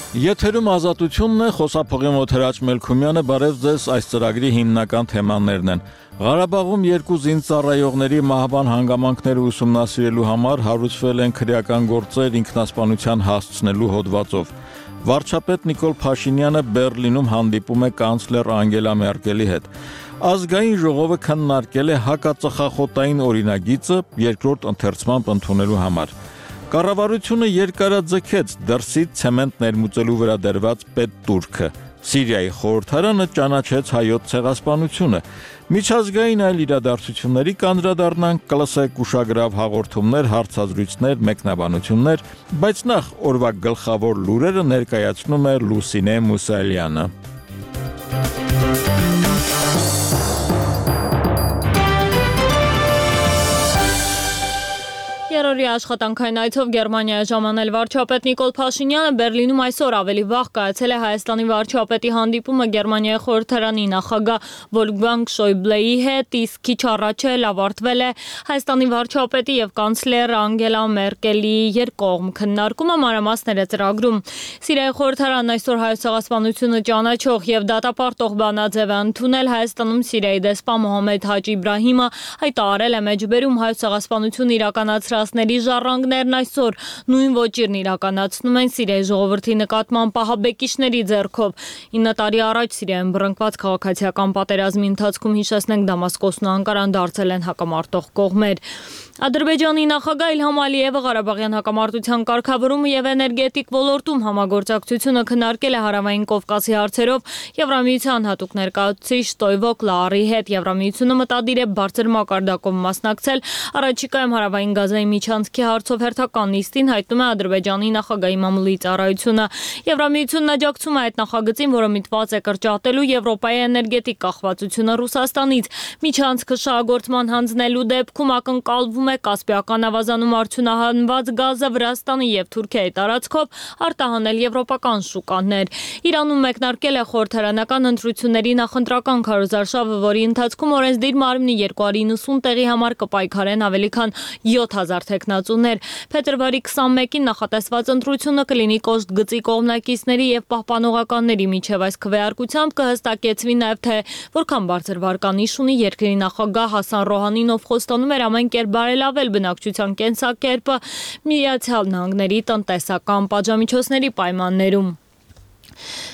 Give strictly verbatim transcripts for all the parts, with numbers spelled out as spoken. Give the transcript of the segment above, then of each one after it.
Եթերում ազատությունն է, խոսափողի մոտ Հրաչ Մելքումյանը, բարև ձեզ, այս ծրագրի հիմնական թեմաներն են։ Ղարաբաղում երկու զինծառայողների մահվան հանգամանքները ուսումնասիրելու համար հարուցվել են քրեական գործեր ինքնասպանության հասցնելու հոդվածով։ Վարչապետ Նիկոլ Փաշինյանը Բեռլինում հանդիպում է կանցլեր Անգելա Մերկելի հետ։ Ազգային ժողովը քննարկել է հակածխախոտային օրինագիծը երկրորդ ընթերցմամբ ընդունելու համար։ Կառավարությունը երկարաձգեց դրսից ցեմենտ ներմուծելու վրա դրված պետտուրքը։ Սիրիայի խորհրդարանը ճանաչեց հայոց ցեղասպանությունը։ Միջազգային այլ իրադարձությունների կանդրադառնանք, կլսեք ուշագրավ հաղորդումներ, հարցազրույցներ, մեկնաբանություններ, բայց նախ օրվա գլխավոր լուրերը ներկայացնում է Լուսինե Մուսալյանը։ Երրորդ աշխատանքային այցով Գերմանիայի ժամանել վարչապետ Նիկոլ Փաշինյանը Բեռլինում այսօր ավելի վաղ կայացել է Հայաստանի վարչապետի հանդիպումը Գերմանիայի խորհրդարանի նախագահ Վոլֆգանգ Շոյբլեի հետ, իսկ քիչ առաջ էլ ավարտվել է Հայաստանի վարչապետի եւ կանցլեր Անգելա Մերկելի երկկողմ քննարկումը, մանրամասները ծրագրում։ Սիրիայի խորհրդարանն այսօր հայոց ցեղասպանությունը ճանաչող եւ դատապարտող բանաձև է ընդունել Հայաստանում Սիրիայի դեսպան Մոհամմեդ Հաջի Իբրահիմը հայտարարել է մեջբերում հայոց ցեղասպանությունը իրականացրած ժառանգներն այսօր նույն ոճիրն իրականացնում են Սիրիայի ժողովրդի նկատմամբ պահաբեկիչների ձեռքով։ ինը տարի առաջ Սիրիայում բռնկված քաղաքացիական պատերազմի ընթացքում, հիշեցնենք, Դամասկոսն ու Անկարան դարձել են հակամարտող կողմեր։ Ադրբեջանի նախագահ Իլհամ Ալիևը Ղարաբաղյան հակամարտության կարգավորումը եւ էներգետիկ ոլորտում համագործակցությունը քննարկել է Հարավային Կովկասի հարցերով Եվրամիության հատուկ ներկայացուցիչ Տոյվո Կլարի հետ։ Եվրամիությունը մտադիր է բարձր մակարդակով մասնակցել առաջիկայում Հարավային Գազայի միջանցքի հարցով հերթական նիստին, հայտնում է Ադրբեջանի նախագահի մամուլի ծառայությունը։ Եվրամիությունն աջակցում է այդ նախագծին, որը միտված է կրճատելու Եվրոպայի էներգետիկ կախվածությունը Ռուսաստանից։ Միջանցքը շահագործման հանձնելու դեպքում ակնկալվում է Կասպիական ավազանում արդյունահանված գազը Վրաստանի եւ Թուրքիայի տարածքով արտահանել եվրոպական շուկաներ։ Իրանում մեկնարկել է խորհրդարանական ընտրությունների նախընտրական քարոզարշավը, որի ընթացքում օրենսդիր մարմնի երկու հարյուր իննսուն տեղի համար կպայքարեն ավելի քան յոթ հազար թեկնածուներ։ Փետրվարի քսանմեկին նախատեսված ընտրությունը կլինի կոշտ գծի կողմնակիցների եւ պահպանողականների միջև։ Այս քվեարկությամբ կհստակեցվի նաեւ թե որքան բարձր վարկանիշ ունի երկրի նախագահ Հասան Ռոհանին, ով խոստանում էր ամեն կերպ բարելավել բնակչության կենսակերպը Միացյալ Նահանգների տնտեսական պատժամիջոցների պայմաններում։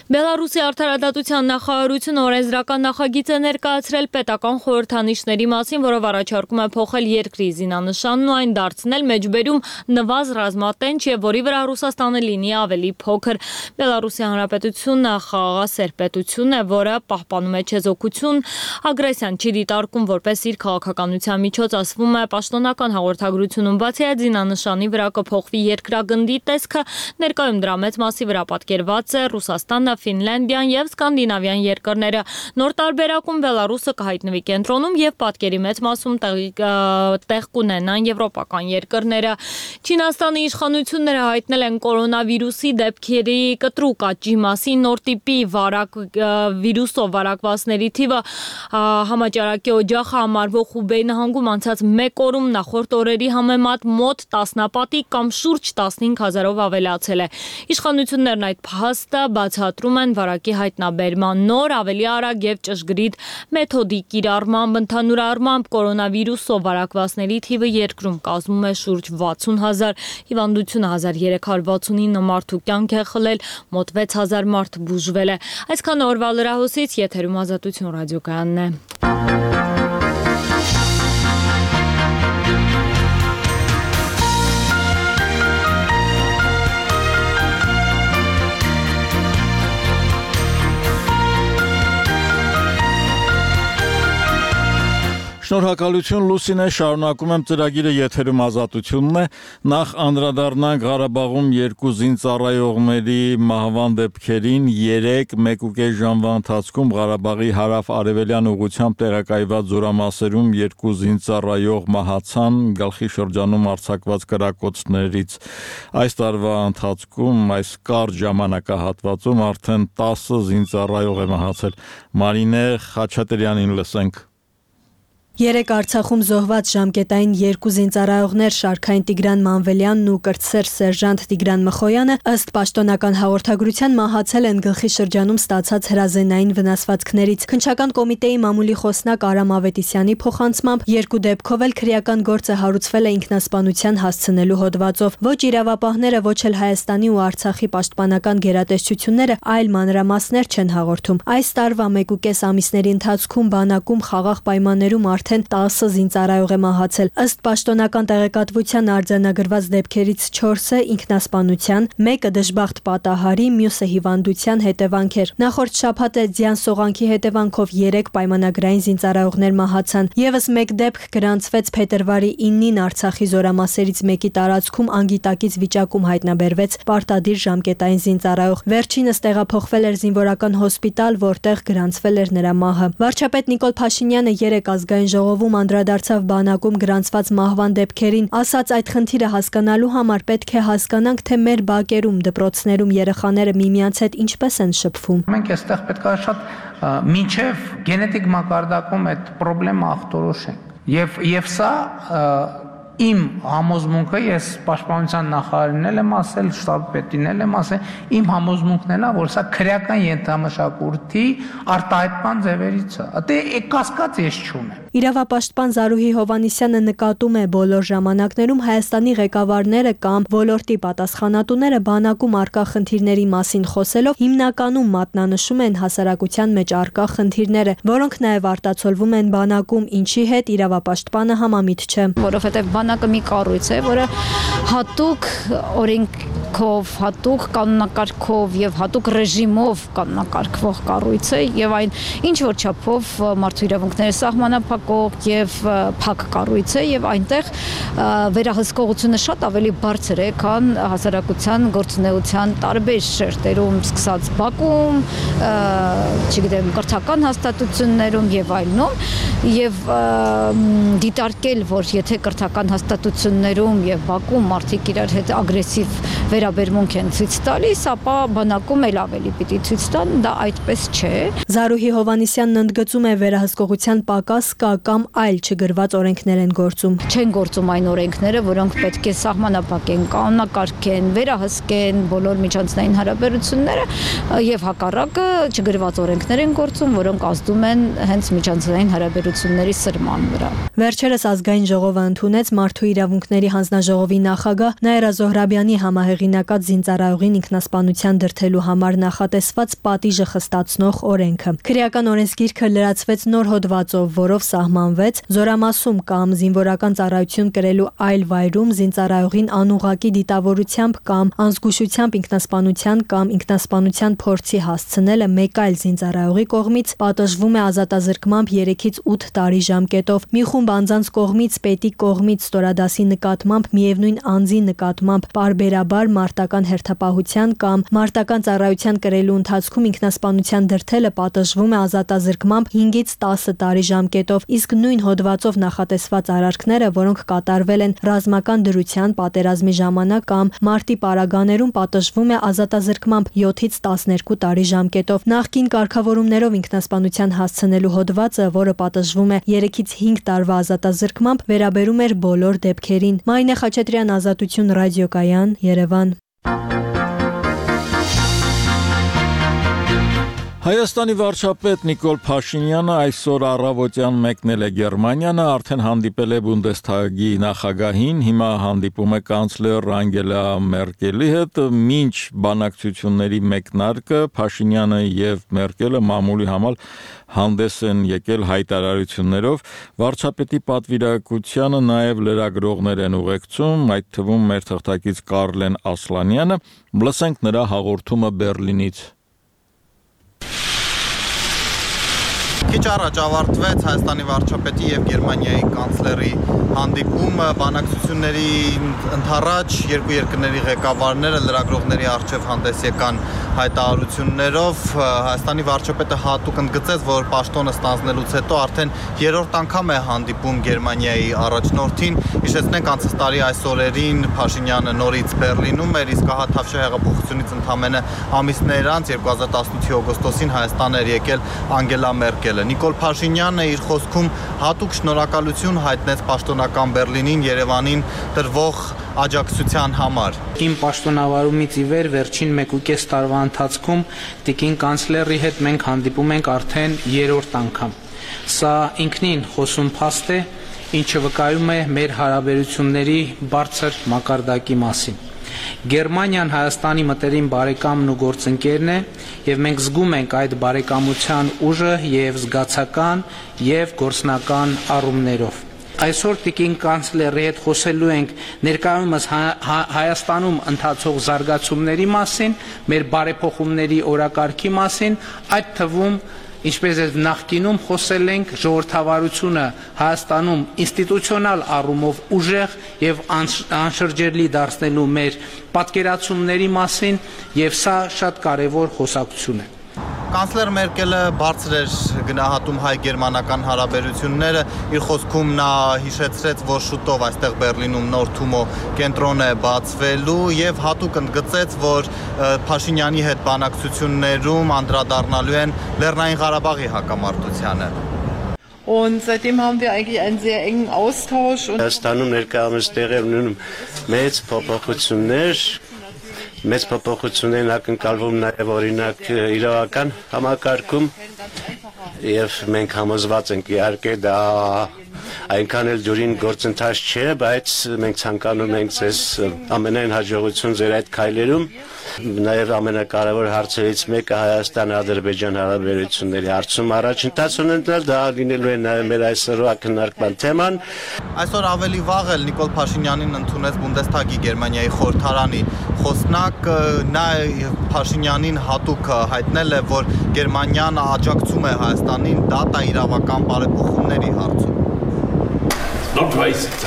Բելարուսի արդարադատության նախարարությունը օրենսդրական նախագիծ է ներկայացրել պետական խորհրդանիշների մասին, որով առաջարկում է փոխել երկրի զինանշանն ու այն դարձնել մեջբերում նվազ ռազմատենչ եւ որի վրա Ռուսաստանը լինի ավելի փոքր։ Բելարուսի Հանրապետությունը խաղաղասեր պետություն է, որը պահպանում է չեզոքություն, ագրեսիան չի դիտարկում որպես իր քաղաքականության միջոց, ասվում է պաշտոնական հաղորդագրությունում։ Բացի այդ, զինանշանի վրա կփոխվի երկրագնդի տեսքը, ներկայում դրա մեծ մասի վրա պատկերված է Ռուսաստանը, Ֆինլանդիան եւ Սկանդինավյան երկրները։ Նոր տարբերակում Բելարուսը կհայտնվի կենտրոնում եւ պատկերի մեծ մասում տեղ կունենան եվրոպական երկրները։ Չինաստանի իշխանությունները հայտնել են կորոնավիրուսի դեպքերի կտրուկ աճի մասին, նոր տիպի վարակ վիրուսով վարակվածների թիվը համաճարակի օջախը համարվող Խուբեյ նահանգում անցած մեկ օրում նախորդ օրերի համեմատ մոտ տասնապատիկ կամ շուրջ տասնհինգ հազարով ավելացել է։ Իշխանություններն այդ փաստը բացատրում են վարակի հայտնաբերման նոր, ավելի արագ եւ ճշգրիտ մեթոդի կիրառմամբ։ Ընդհանուր առմամբ կորոնավիրուսով վարակվածների թիվը երկրում կազմում է շուրջ վաթսուն հազար, հիվանդությունը հազար երեք հարյուր վաթսունինը մարդու կյանք է խլել, մոտ վեց հազար մարդ բուժվել է։ Այսքան օրվա լրահոսից, եթերում Ազատություն ռադիոկայանն է։ Շնորհակալություն Լուսինե, շարունակում եմ ծրագիրը, եթերում Ազատությունն է։ Նախ անդրադառնանք Ղարաբաղում երկու զինծառայողների մահվան դեպքերին։ Երեք մեկուկես ժամվա ընթացքում Ղարաբաղի հարավ-արևելյան ուղղությամբ տեղակայված զորամասերում երկու զինծառայող մահացան գլխի շրջանում արձակված կրակոցներից։ Այս տարվա ընթացքում այս կարճ ժամանակահատվածում արդեն տասը զինծառայող է մահացել։ Մարինե Խաչատրյանին լսենք։ Երեկ Արցախում զոհված ժամկետային երկու զինծառայողներ Շարքային Տիգրան Մանվելյանն ու կրտսեր սերժանտ Տիգրան Մխոյանը ըստ պաշտոնական հաղորդագրության մահացել են գլխի շրջանում ստացած հրազենային վնասվածքներից։ Քննչական կոմիտեի մամուլի խոսնակ Արամ Ավետիսյանի փոխանցմամբ երկու դեպքով էլ քրեական գործը հարուցվել է ինքնասպանության հասցնելու հոդվածով։ Ոչ իրավապահները, ոչ էլ Հայաստանի ու Արցախի պաշտպանական գերատեսչությունները այլ մանրամասներ չեն հաղորդում։ Այս տարվա մեկուկես ամիսների ընթացքում բանակում խաղաղ պայմաններում արդեն տասը զինծառայող է մահացել։ Ըստ պաշտոնական տեղեկատվության արձանագրված դեպքերից չորսը ինքնասպանության, մեկը դժբախտ պատահարի, մյուսը հիվանդության հետևանք էր։ Նախորդ շաբաթ ձյան սողանքի հետևանքով երեք պայմանագրային զինծառայողներ մահացան։ Եվս մեկ դեպք գրանցվեց փետրվարի իննին Արցախի զորամասերից մեկի տարածքում անգիտակից վիճակում հայտնաբերվեց պարտադիր ժամկետային զինծառայող։ Վերջինս տեղափոխվել էր զինվորական հոսպիտալ, որտեղ գրանցվել էր նրա մահը։ Վարչապետ Նիկոլ Փաշինյանը երեկ ազգային ժողովում անդրադարձավ բանակում գրանցված մահվան դեպքերին, ասաց այդ խնդիրը հասկանալու համար պետք է հասկանանք, թե մեր բակերում, դպրոցներում երեխաները միմյանց հետ ինչպես են շփվում։ Մենք այստեղ պետք է շատ մինչև գենետիկ մակարդակում այդ խնդրեմը ախտորոշենք։ Եվ եւ սա իմ համոզմունքը, ես պաշտպանության նախարարին եմ ասել, շտաբ պետին եմ ասել, իմ համոզմունքն է, որ սա քրեական ենթամշակույթի արտահայտման ձևերից է։ Դե կասկած ես չունեմ։ Իրավապաշտպան Զարուհի Հովանիսյանը նկատում է բոլոր ժամանակներում Հայաստանի ղեկավարները կամ ոլորտի պատասխանատուները բանակում արկա խնդիրների մասին խոսելով հիմնականում մատնանշում են հասարակության մեջ արկա խնդիրները, որոնք նաև արտացոլվում են բանակում, ինչի հետ իրավապաշտպանը համամիտ չէ։ Որովհետև բանակը մի կառույց է, որը հատուկ օրենքով, հատուկ կանոնակարգով եւ հատուկ ռեժիմով կանոնակարգվող կառույց է եւ այն ինչ որ չափով մարդու իրավունքները սահմանափակող եւ փակ կառույց է եւ այնտեղ վերահսկողությունը շատ ավելի բարձր է, քան հասարակության գործունեության տարբեր շերտերում, սկսած Բաքում, չգիտեմ, կրթական հաստատություններում եւ այլնում, եւ դիտարկել, որ եթե կրթական հաստատություններում եւ Բաքում մարդիկ իրար հետ ագրեսիվ վերաբերմունք են ցույց տալիս, ապա բանակում էլ ավելի պիտի ցույց տան, դա այդպես չէ։ Զարուհի Հովանիսյանն ընդգծում է վերահսկողության պակաս կա կամ այլ չգրված օրենքներ են գործում։ Չեն գործում այն օրենքները, որոնք պետք է սահմանափակեն, կանոնակարգեն, վերահսկեն բոլոր միջանցային հարաբերությունները եւ հակառակը չգրված օրենքներ են գործում, որոնք ազդում են հենց միջանցային հարաբերությունների սրման վրա։ Վերջերս ազգային ժողովը ընդունեց Մարդու իրավունքների հանձնաժողովի նախագահ Նաիրա Զոհրաբյանի համահեղինակած զինծառայողին ինքնասպանության դրդելու համար նախատեսված պատիժը խստացնող օրենքը։ Քրեական օրենսգիրքը լրացվեց նոր հոդվածով, որով սահմանվեց զորամասում կամ զինվորական ծառայություն կրելու այլ վայրում զինծառայողին անուղղակի դիտավորությամբ կամ անզգուշությամբ ինքնասպանության կամ ինքնասպանության փորձի հասցնելը մեկ այլ զինծառայողի կողմից պատժվում է ազատազրկմամբ երեքից ութ տարի ժամկետով։ Մի խումբ անձանց կողմից, պետի կողմից ստորադասի նկատմամբ միևնույն անձի նկատմամբ պարբերաբար մարտական հերթապահության կամ մարտական ծառայության կրելու ընթացքում ինքնասպանության դրդելը պատժվում է ազատազրկմամբ հինգից տասը տարի ժամկետով, իսկ նույն հոդվածով նախատեսված արարքները, որոնք կատարվել են ռազմական դրության պատերազմի ժամանակ կամ մարտի պարագաներում, պատժվում է ազատազրկմամբ յոթից տասներկու տարի ժամկետով։ Նախկին կարգավորումներով ինքնասպանության հասցնելու հոդվածը, որը պատժվում է երեքից հինգ տարվա ազատազրկմամբ, վերաբերում էր բոլոր դեպքերին։ Մարինե Խաչատրյան, Ազատություն, Ռադիոկայան, Երևան։ Հայաստանի վարչապետ Նիկոլ Փաշինյանը այսօր առավոտյան մեկնել է Գերմանիա, արդեն հանդիպել է Բունդեսթագի նախագահին, հիմա հանդիպում է կանցլեր Անգելա Մերկելի հետ, մինչ բանակցությունների մեկնարկը Փաշինյանը եւ Մերկելը մամուլի համար հանդես են եկել հայտարարություններով, վարչապետի պատվիրակությանը նաեւ լրագրողներ են ուղեկցում, այդ թվում մեր թղթակից Կարլեն Ասլանյանը, լսենք նրա հաղորդումը Բերլինից։ Քիչ առաջ ավարտվեց Հայաստանի վարչապետի եւ Գերմանիայի կանցլերի հանդիպումը, բանակցությունների ընդառաջ երկու երկրների ղեկավարները լրագրողների առջև հանդես եկան հայտարարություններով։ Հայաստանի վարչապետը հատուկ ընդգծեց, որ պաշտոնը ստանձնելուց հետո արդեն երրորդ անգամ է հանդիպում Գերմանիայի առաջնորդին։ Հիշեցնենք, անցած տարի այս օրերին Փաշինյանը նորից Բերլինում էր, իսկ հա Թավշյա հեղափոխությունից ընդամենը ամիսներ անց երկու հազար տասնութի օգոստոսին Հայաստան էր եկել Անգելա Մերկելը։ մերկելը։ Նիկոլ Փաշինյանը իր խոսքում հատուկ շնորհակալություն հայտնեց պաշտոնական Բերլինին Երևանին տրվող աջակցության համար։ Իմ պաշտոնավարումից ի վեր վերջին մեկ ու կես տարվա ընթացքում տիկին կանցլերի հետ մենք հանդիպում ենք արդեն երրորդ անգամ։ Սա ինքնին խոսուն փաստ է, ինչը վկայում է մեր հարաբերությունների բարձր մակարդակի մասին։ Գերմանիան Հայաստանի մտերիմ բարեկամն ու գործընկերն է, եւ մենք զգում ենք այդ բարեկամության ուժը եւ զգացական եւ գործնական առումներով։ Այսօր տիկին կանցլերի հետ խոսելու ենք ներկայումս Հայաստանում ընթացող զարգացումների մասին, մեր բարեփոխումների օրակարգի մասին, այդ թվում ինչպես է նախկինում խոսել ենք ժողովրդավարությունը Հայաստանում ինստիտուցիոնալ առումով ուժեղ եւ անշրջելի դարձնելու մեր պատկերացումների մասին եւ սա շատ կարեւոր խոսակցություն է։ Կանցլեր Մերկելը բարձր էր գնահատում հայ-գերմանական հարաբերությունները, իր խոսքում նա հիշեցրեց, որ շուտով այստեղ Բերլինում նոր Թումո կենտրոն է բացվելու եւ հատուկ ընդգծեց, որ Փաշինյանի հետ բանակցություններում անդրադառնալու են Լեռնային Ղարաբաղի հակամարտությանը։ Und seitdem haben wir eigentlich einen sehr engen Austausch und Հայաստանում ներկայումս տեղի ունենում մեծ փոփոխություններ Մեծ փոփոխություններ ակնկալվում նաև օրինակ իրավական համակարգում եւ մենք համոզված ենք իհարկե դա այնքան էլ դյուրին գործընթաց չէ, բայց մենք ցանկանում ենք ձեզ ամենայն հաջողություն ձեր այդ քայլերում։ Նաև ամենակարևոր հարցերից մեկը Հայաստան-Ադրբեջան հարաբերությունների հարցում առաջընթաց ունենալ, դա լինելու է նաև մեր այսօրվա քննարկման թեման։ Այսօր ավելի վաղ էլ Նիկոլ Փաշինյանին ընդունեց Բունդեսթագի Գերմանիայի խորհրդարանի խոսնակ, նա Փաշինյանին հատուկ հայտնել է, որ Գերմանիան աջակցում է Հայաստանին դատա իրավական բարեփոխումների հարցում։ Not racist,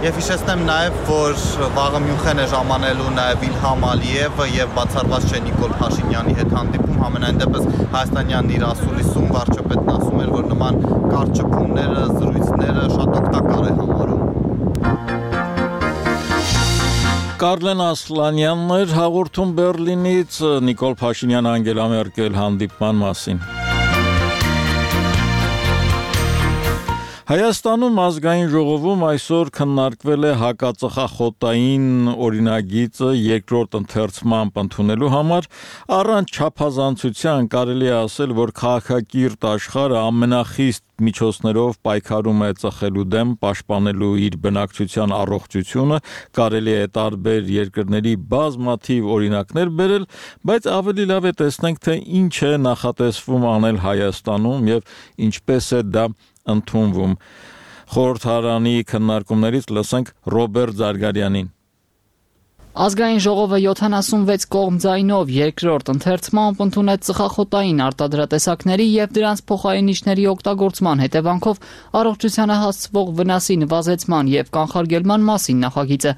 Եվ հիշեցնեմ նաև, որ վաղը Մյունխեն է ժամանելու նաև Իլհամ Ալիևը եւ բացառված չէ Նիկոլ Փաշինյանի հետ հանդիպում, համենայն դեպս հայաստանյան իր ասուլիսում վարչապետն ասում էր, որ նման կարճ ճփումները, զրույցները շատ օգտակար է համարում։ Կարլեն Ասլանյանն էր հաղորդում Բերլինից Նիկոլ Փաշինյան Անգելա Մերկել հանդիպման մասին։ Հայաստանում ազգային ժողովում այսօր քննարկվել է հակածխախոտային օրինագիծը երկրորդ ընթերցմամբ ընդունելու համար, առանց չափազանցության կարելի է ասել, որ քաղաքակիրթ աշխարհը ամենախիստ միջոցներով պայքարում է ծխելու դեմ, պաշտպանելու իր բնակչության առողջությունը, կարելի է տարբեր երկրների բազմաթիվ օրինակներ բերել, բայց ավելի լավ է տեսնենք, թե ինչ է նախատեսվում անել Հայաստանում եւ ինչպես է դա ընդունվում։ Խորհրդարանի քննարկումներից լսենք Ռոբերտ Զարգարյանին։ Ազգային ժողովը յոթանասունվեց կողմ ձայնով երկրորդ ընթերցմամբ ընդունեց ծխախոտային արտադրատեսակների եւ դրանց փոխարինիչների օգտագործման հետևանքով առողջությանը հասցվող վնասի նվազեցման եւ կանխարգելման մասին նախագիծը,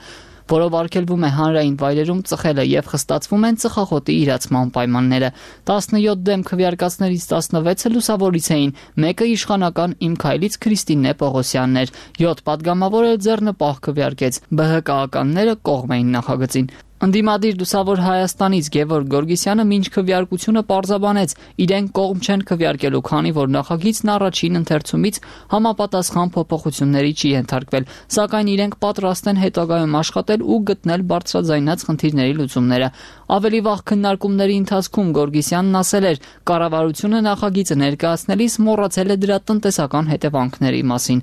որով արգելվում է հանրային վայրերում ծխելը եւ խստացվում են ծխախոտի իրացման պայմանները։ տասնյոթ դեմ քվեարկածներից տասնվեցը լուսավորից էին, մեկը իշխանական Իմ քայլից Քրիստինե Պողոսյանն էր, յոթ պատգամավորը ձեռնպահ քվեարկեց, ԲՀԿ-ականները կողմ էին նախագծին։ Ընդդիմադիր լուսավոր Հայաստանից Գևորգ Գորգիսյանը մինչ քվեարկությունը պարզաբանեց, իրենք կողմ չեն քվեարկելու, քանի որ նախագիծն առաջին ընթերցումից համապատասխան փոփոխությունների չի ենթարկվել, սակայն իրենք պատրաստ են հետագայում աշխատել ու գտնել բարձրաձայնած խնդիրների լուծումները։ Ավելի վաղ քննարկումների ընթացքում Գորգիսյանն ասել էր, կառավարությունը նախագիծը ներկայացնելիս մոռացել է դրա տնտեսական հետևանքների մասին։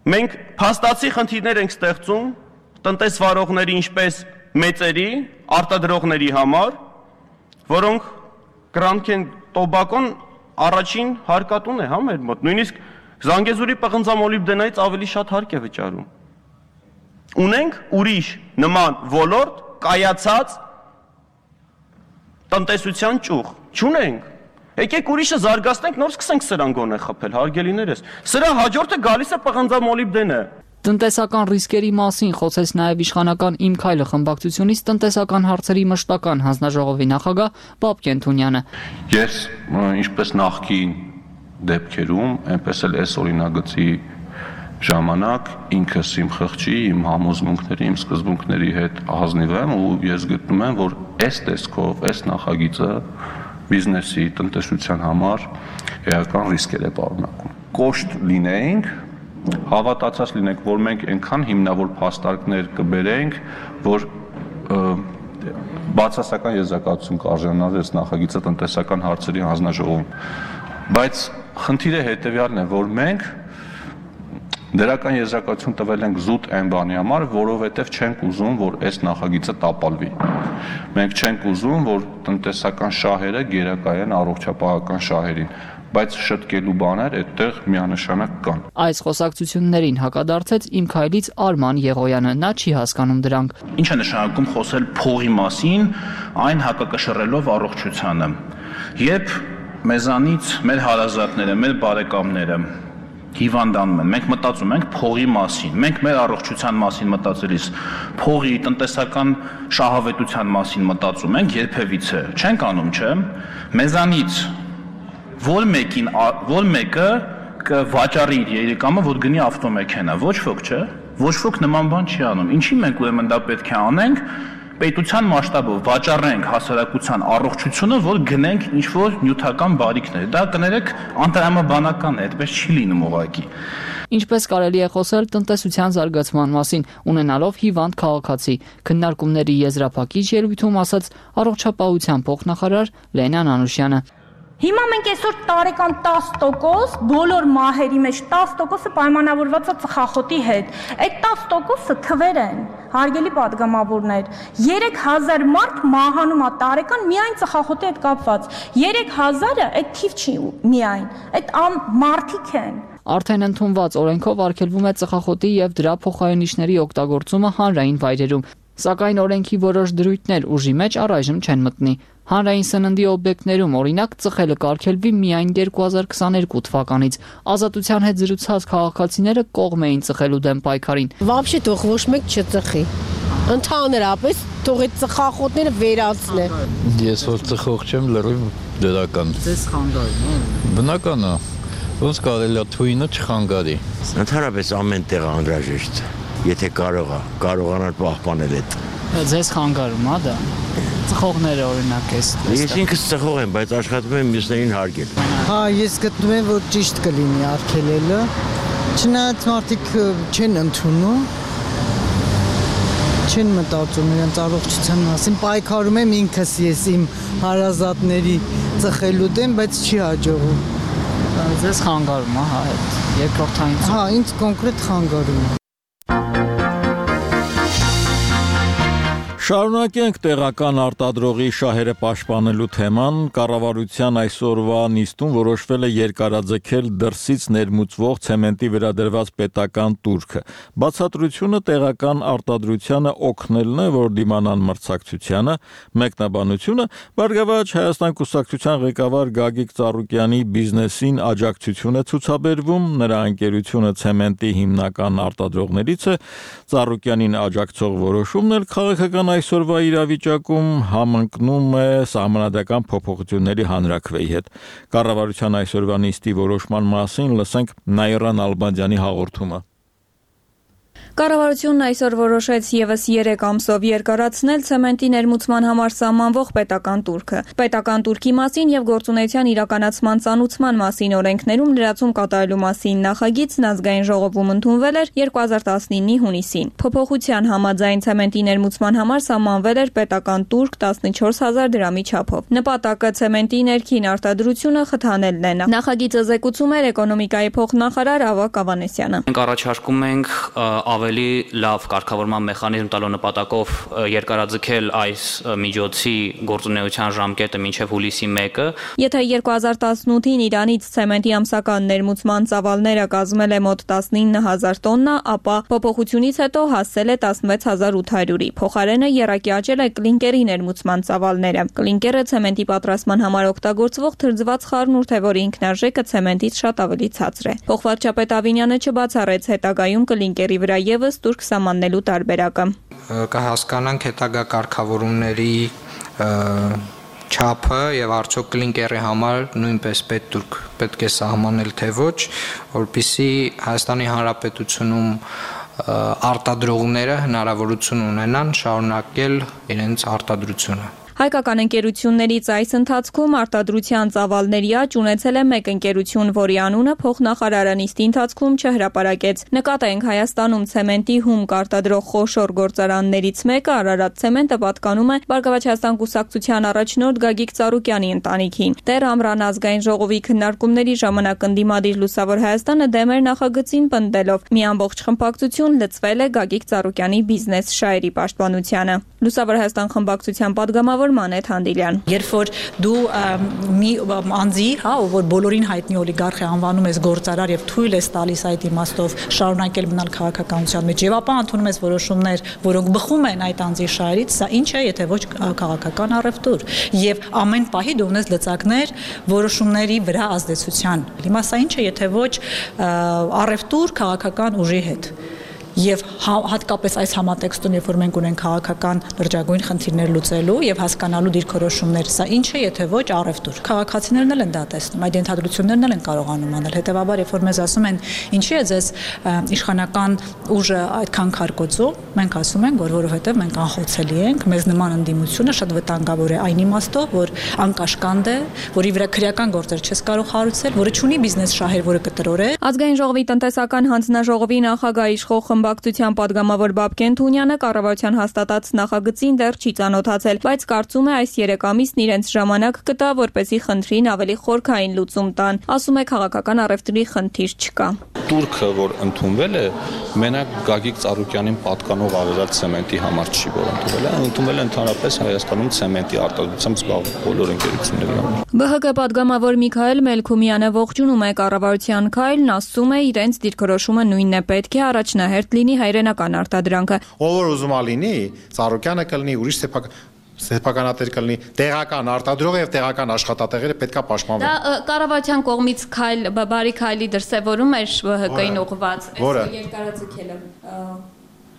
Մենք փաստացի խնդիրներ ենք ստեղծում տնտեսվարողների ինչպես մեծերի, արտադրողների համար, որոնք կրանք են տոբակոն առաջին հարկատուն է հա մեր մոտ, նույնիսկ Զանգեզուրի պղնձամոլիբդենայից ավելի շատ հարկ է վճարում։ Ունենք ուրիշ նման ոլորտ կայացած տնտեսության ճյուղ, չունենք։ Եկեք ուրիշը զարգացնենք, նոր սկսենք սրան գոնե խփել, հարգելիներս։ Սրա հաջորդը գալիս է պղնձամոլիբդենը։ Տնտեսական ռիսկերի մասին խոսեց նաև իշխանական Իմ քայլը խմբակցությունից տնտեսական հարցերի մշտական հանձնաժողովի նախագահ Բաբկեն Թունյանը։ Ես ինչպես նախկին դեպքերում, այնպես էլ այս օրինագծի ժամանակ ինքս իմ խղճի, իմ համոզմունքների, իմ սկզբունքների հետ ազնիվ եմ ու ես գտնում եմ, որ այս տեսքով, այս նախագիծը բիզնեսի, տնտեսության համար էական ռիսկեր է պարունակում։ Կոշտ լինեինք, հավատացած լինենք, որ մենք այնքան հիմնավոր փաստարկներ կբերենք, որ բացասական եզրակացություն կարժանար այս նախագիծը տնտեսական հարցերի հանձնաժողովում։ Բայց խնդիրը հետևյալն է, որ մենք դրական եզրակացություն տվել ենք զուտ այն բանի համար, որովհետև չենք ուզում, որ այս նախագիծը տապալվի։ Մենք չենք ուզում, որ տնտեսական շահերը գերակայեն առողջապահական շահերին, բայց շտկելու բաներ այդտեղ միանշանակ կան։ Այս խոսակցություններին հակադարձեց Իմ քայլից Արման Եղոյանը, նա չի հասկանում դրանք։ Ինչ է նշանակում խոսել փողի մասին, այն հակակշռելով առողջությանը։ Երբ մեզանից մեր հարազատները, մեր բարեկամները հիվանդանում են, մենք մտածում ենք փողի մասին, մենք մեր առողջության մասին մտածելիս փողի տնտեսական շահավետության մասին մտածում ենք երբևիցե, չենք անում, չէ՞։ Մեզանից որ մեկին, որ մեկը կվաճառի իր երեքամը, որ գնի ավտոմեքենա, ոչ ոք, չէ՞։ Ոչ ոք նման բան չի անում։ Ինչի մենք ուրեմն դա պետք է անենք, պետության մասշտաբով վաճառենք հասարակության առողջությունը, որ գնենք ինչ-որ նյութական բարիքներ։ Դա կներեք անտրամաբանական է, այդպես չի լինում ուղղակի։ Ինչպես կարելի է խոսել տնտեսության զարգացման մասին, ունենալով հիվանդ քաղաքացի, քննարկումների եզրափակիչ ելույթում ասաց առողջապահության փոխնախարար Լենան Անուշյանը։ Հիմա մենք այսօր տարեկան տասը տոկոս բոլոր մահերի մեջ տասը տոկոսը պայմանավորված է ծխախոտի հետ։ Այդ տասը տոկոսը թվեր են, հարգելի պատգամավորներ։ երեք հազար մարդ մահանում է տարեկան միայն ծխախոտի հետ կապված։ երեք հազարը այդ թիվ չի միայն, այդ մարդիկ են։ Արդեն ընդունված օրենքով արգելվում է ծխախոտի եւ դրա փոխարինիչների օգտագործումը հանրային վայրերում, սակայն օրենքի որոշ դրույթներ ուժի մեջ առայժմ չեն մտնի։ Հանրային սննդի օբյեկտներում օրինակ ծխելը կարգելվի միայն երկու հազար քսաներկու թվականից։ Ազատության հետ զրուցած քաղաքացիները կողմ էին ծխելու դեմ պայքարին։ Вообще թող ոչ մեկ չծխի։ Ընդհանրապես թող այդ ծխախոտները վերացնեն։ Ես որ ծխող չեմ, լրիվ դրական։ Ձեզ խանգարում է։ Բնական է։ Ոնց կարելի է թույնը չխանգարի։ Ընդհանրապես ամեն տեղ անհրաժեշտ է, եթե կարող է, կարողանալ պահպանել այդ։ Ձեզ խանգարում է դա։ Ծխողները օրինակ էս։ Ես ինքս ծխող եմ, բայց աշխատում եմ մյուսներին հարգել։ Հա, ես գտնում եմ, որ ճիշտ կլինի արգելելը։ Չնայած մարդիկ չեն ընդունում, չեն մտածում իրենց առողջության մասին, պայքարում եմ ինքս ես իմ հարազատների ծխելու դեմ, բայց չի հաջողում։ Ձեզ խանգարում է, հա, այդ երկրորդային։ Հա, ինձ կոնկրետ խանգարում է։ Շարունակենք տեղական արտադրողի շահերը պաշտպանելու թեման։ Կառավարության այսօրվա նիստում որոշվել է երկարաձգել դրսից ներմուծվող ցեմենտի վերադրված պետական տուրքը։ Բացատրությունը տեղական արտադրությանը օգնելն է, որ դիմանան մրցակցությանը։ Մեկնաբանությունը Բարգավաճ Հայաստան կուսակցության ղեկավար Գագիկ Ծառուկյանի բիզնեսին աջակցություն է ցուցաբերվում, նրա ընկերությունը ցեմենտի հիմնական արտադրողներից է։ Ծառուկյանին աջակցող որոշումն էլ քաղաքական այսօրվա իրավիճակում համընկնում է սահմանադրական փոփոխությունների հանրաքվեի հետ։ Կառավարության այսօրվա նիստի որոշման մասին լսենք Նաիրա Նալբանդյանի հաղորդումը։ Կառավարությունն այսօր որոշեց ևս երեք ամսով երկարացնել ցեմենտի ներմուծման համար սահմանվող պետական տուրքը։ Պետական տուրքի մասին եւ գործունեության իրականացման ծանուցման մասին օրենքներում լրացում կատարելու մասին նախագիծն ազգային ժողովում ընդունվել էր երկու հազար տասնինի հունիսին։ Փոփոխության համաձայն ցեմենտի ներմուծման համար սահմանվել էր պետական տուրք տասնչորս հազար դրամի չափով։ Նպատակը ցեմենտի ներքին արտադրությունը խթանելն է։ Նախագիծը զեկուցում էր էկոնոմիկայի փոխնախարար Ավագ Ավանեսյանը։ Մենք առաջարկում ենք ավելի լավ կարգավորման մեխանիզմ տալու նպատակով երկարաձգել այս միջոցի գործունեության ժամկետը մինչև հուլիսի մեկը։ Եթե երկու հազար տասնութին Իրանից ցեմենտի ամսական ներմուծման ծավալները կազմել է մոտ տասնինը հազար տոննա, ապա փոփոխությունից հետո հասել է տասնվեց հազար ութ հարյուրի։ Փոխարենը եռակի աճել է կլինկերի ներմուծման ծավալները։ Կլինկերը ցեմենտի պատրաստման համար օգտագործվող թրջված խառնուրդ է, որի ինքնարժեքը ցեմենտից շատ ավելի ցածր է։ Փոխվարչապետ Ավինյանը չբացառեց հետագայում կլինկերի վրա ևս տուրք սահմանելու տարբերակը։ Կհասկանանք հետագա կարգավորումների չափը եւ արդյոք կլինկերի համար նույնպես պետք պետք է սահմանել թե ոչ, որpիսի Հայաստանի Հանրապետությունում արտադրողները հնարավորություն ունենան շարունակել իրենց արտադրությունը։ Հայկական ընկերություններից այս ընթացքում արտադրության ծավալների աճ ունեցել է մեկ ընկերություն, որի անունը փոխնախարարը նիստի ընթացքում չհրապարակեց։ Նկատենք Հայաստանում ցեմենտի հումք արտադրող խոշոր գործարաններից մեկը Արարատ ցեմենտը պատկանում է Բարգավաճ Հայաստան կուսակցության առաջնորդ Գագիկ Ծառուկյանի ընտանիքին։ Դեռ Ամռան ազգային ժողովի քննարկումների ժամանակ ընդդիմադիր Լուսավոր Հայաստանը դեմ էր նախագծին պնդելով՝ մի ամբողջ խմբակցություն լծվել է Գագիկ Ծառուկյանի բիզնես շահերի պաշտպանությանը։ Լուսավոր Հայաստան խմբակցության падգամավոր Մանեթ Հանդիլյան։ Երբ որ դու մի անձի, հա, որ բոլորին հայտնի օլիգարխ է անվանում ես գործարար եւ թույլ ես տալիս այդ իմաստով շարունակել մնալ քաղաքականության մեջ եւ ապա ընդունում ես որոշումներ, որոնք բխում են այդ անձի շահերից, սա ինչ է, եթե ոչ քաղաքական առևտուր եւ ամեն պահի դու ունես լծակներ որոշումների վրա ազդեցության։ Հիմա սա ինչ է, եթե ոչ առևտուր քաղաքական ուժի հետ։ Եվ հատկապես այս համատեքստում, երբ որ մենք ունենք քաղաքական լրջագույն խնդիրներ լուծելու եւ հասկանալու դիրքորոշումներ, սա ինչ է, եթե ոչ առևտուր։ Քաղաքացիներն էլ են դա տեսնում, այդ ենթադրություններն էլ են կարողանում անել։ Հետեւաբար, երբ որ մեզ ասում են, ինչի է ձեզ իշխանական ուժը այդքան քարկոծում, մենք ասում ենք, որ որովհետեւ մենք անխոցելի ենք, մեզ նման ընդդիմությունը շատ վտանգավոր է այն իմաստով, որ անկաշկանդ է, որի վրա քրեական գործեր չես կարող հարուցել, որը ունի բիզնես շահեր, որը կտրոր է։ Ազգային ժողովի տնտեսական հանձնաժողովի նախագահ իշխող խմբակցության падգամավոր Բաբկեն Թունյանը կառավարության հաստատած նախագծին դեռ չի ծանոթացել, բայց կարծում է այս երեք ամիսն իրենց ժամանակ կտա, որպեսզի խնդրին ավելի խորքային լուծում տան։ Ասում է քաղաքական առևտրի խնդիր չկա։ Турքը, որ ընդունվել է, մենակ Գագիկ Ծառուկյանին պատկանող Արարատ ցեմենտի համար չի, որ ընդունվել է, ընդունվել է ընդհանրապես Հայաստանում ցեմենտի արտադրությամբ զբաղվող բոլոր ընկերությունների համար։ Բ Հ Գ падգամավոր Միքայել Մելքումյանը ողջունում է կառավարության քայլն, ասում է իրենց դիրքորոշումը նույնն է, պետք է առաջնահերթ լինի հայրենական արտադրանքը։ Ով որ ուզում ա լինի, Ծառուկյանը կլինի, ուրիշ սեփական սեփականատեր կլինի, տեղական արտադրողը եւ տեղական աշխատատեղերը պետքա պաշտպանվեն։ Դա կառավարության կողմից քայլ, բարի քայլի դրսևորում էր Բ Հ Կ-ին ուղղված։ Որը երկարաձգելը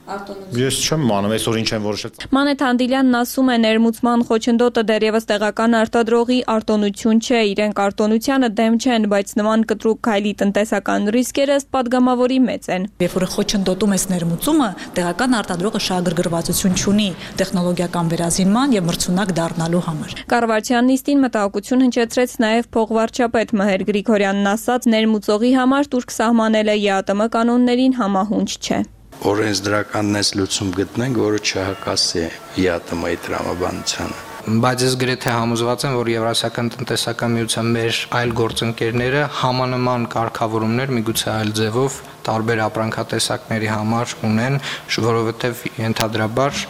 Ես չեմ անում, այսօր ինչ են որոշել։ Մանեթ Հանդիլյանն ասում է, ներմուծման խոչընդոտը դեռևս տեղական արտադրողի արտոնություն չէ, իրենք արտոնությանը դեմ չեն, բայց նման կտրուկ քայլի տնտեսական ռիսկերը ըստ падգամավորի մեծ են։ Երբ որ խոչընդոտում ես ներմուծումը, տեղական արտադրողը շահագրգռվածություն չունի տեխնոլոգիական վերազինման եւ մրցունակ դառնալու համար։ Կառավարության նիստին մտահոգություն հնչեցրեց նաեւ փոխվարչապետ Մհեր Գրիգորյանն ասաց, ներմուծողի համար турք սահմանելը Ե ԱՏՄ կանոններին համահունչ չէ։ Օրենսդրականն էս լուծում գտնենք, որը չհակասի Ե Ա Տ Մ-ի տրամաբանությանը։ Բայց ես գրեթե համոզված եմ, որ Եվրասիական տնտեսական միության մեր այլ գործընկերները համանման կարգավորումներ միգուցե այլ ձևով տարբեր ապրանքատեսակների համար ունեն, որովհետև ենթադրաբար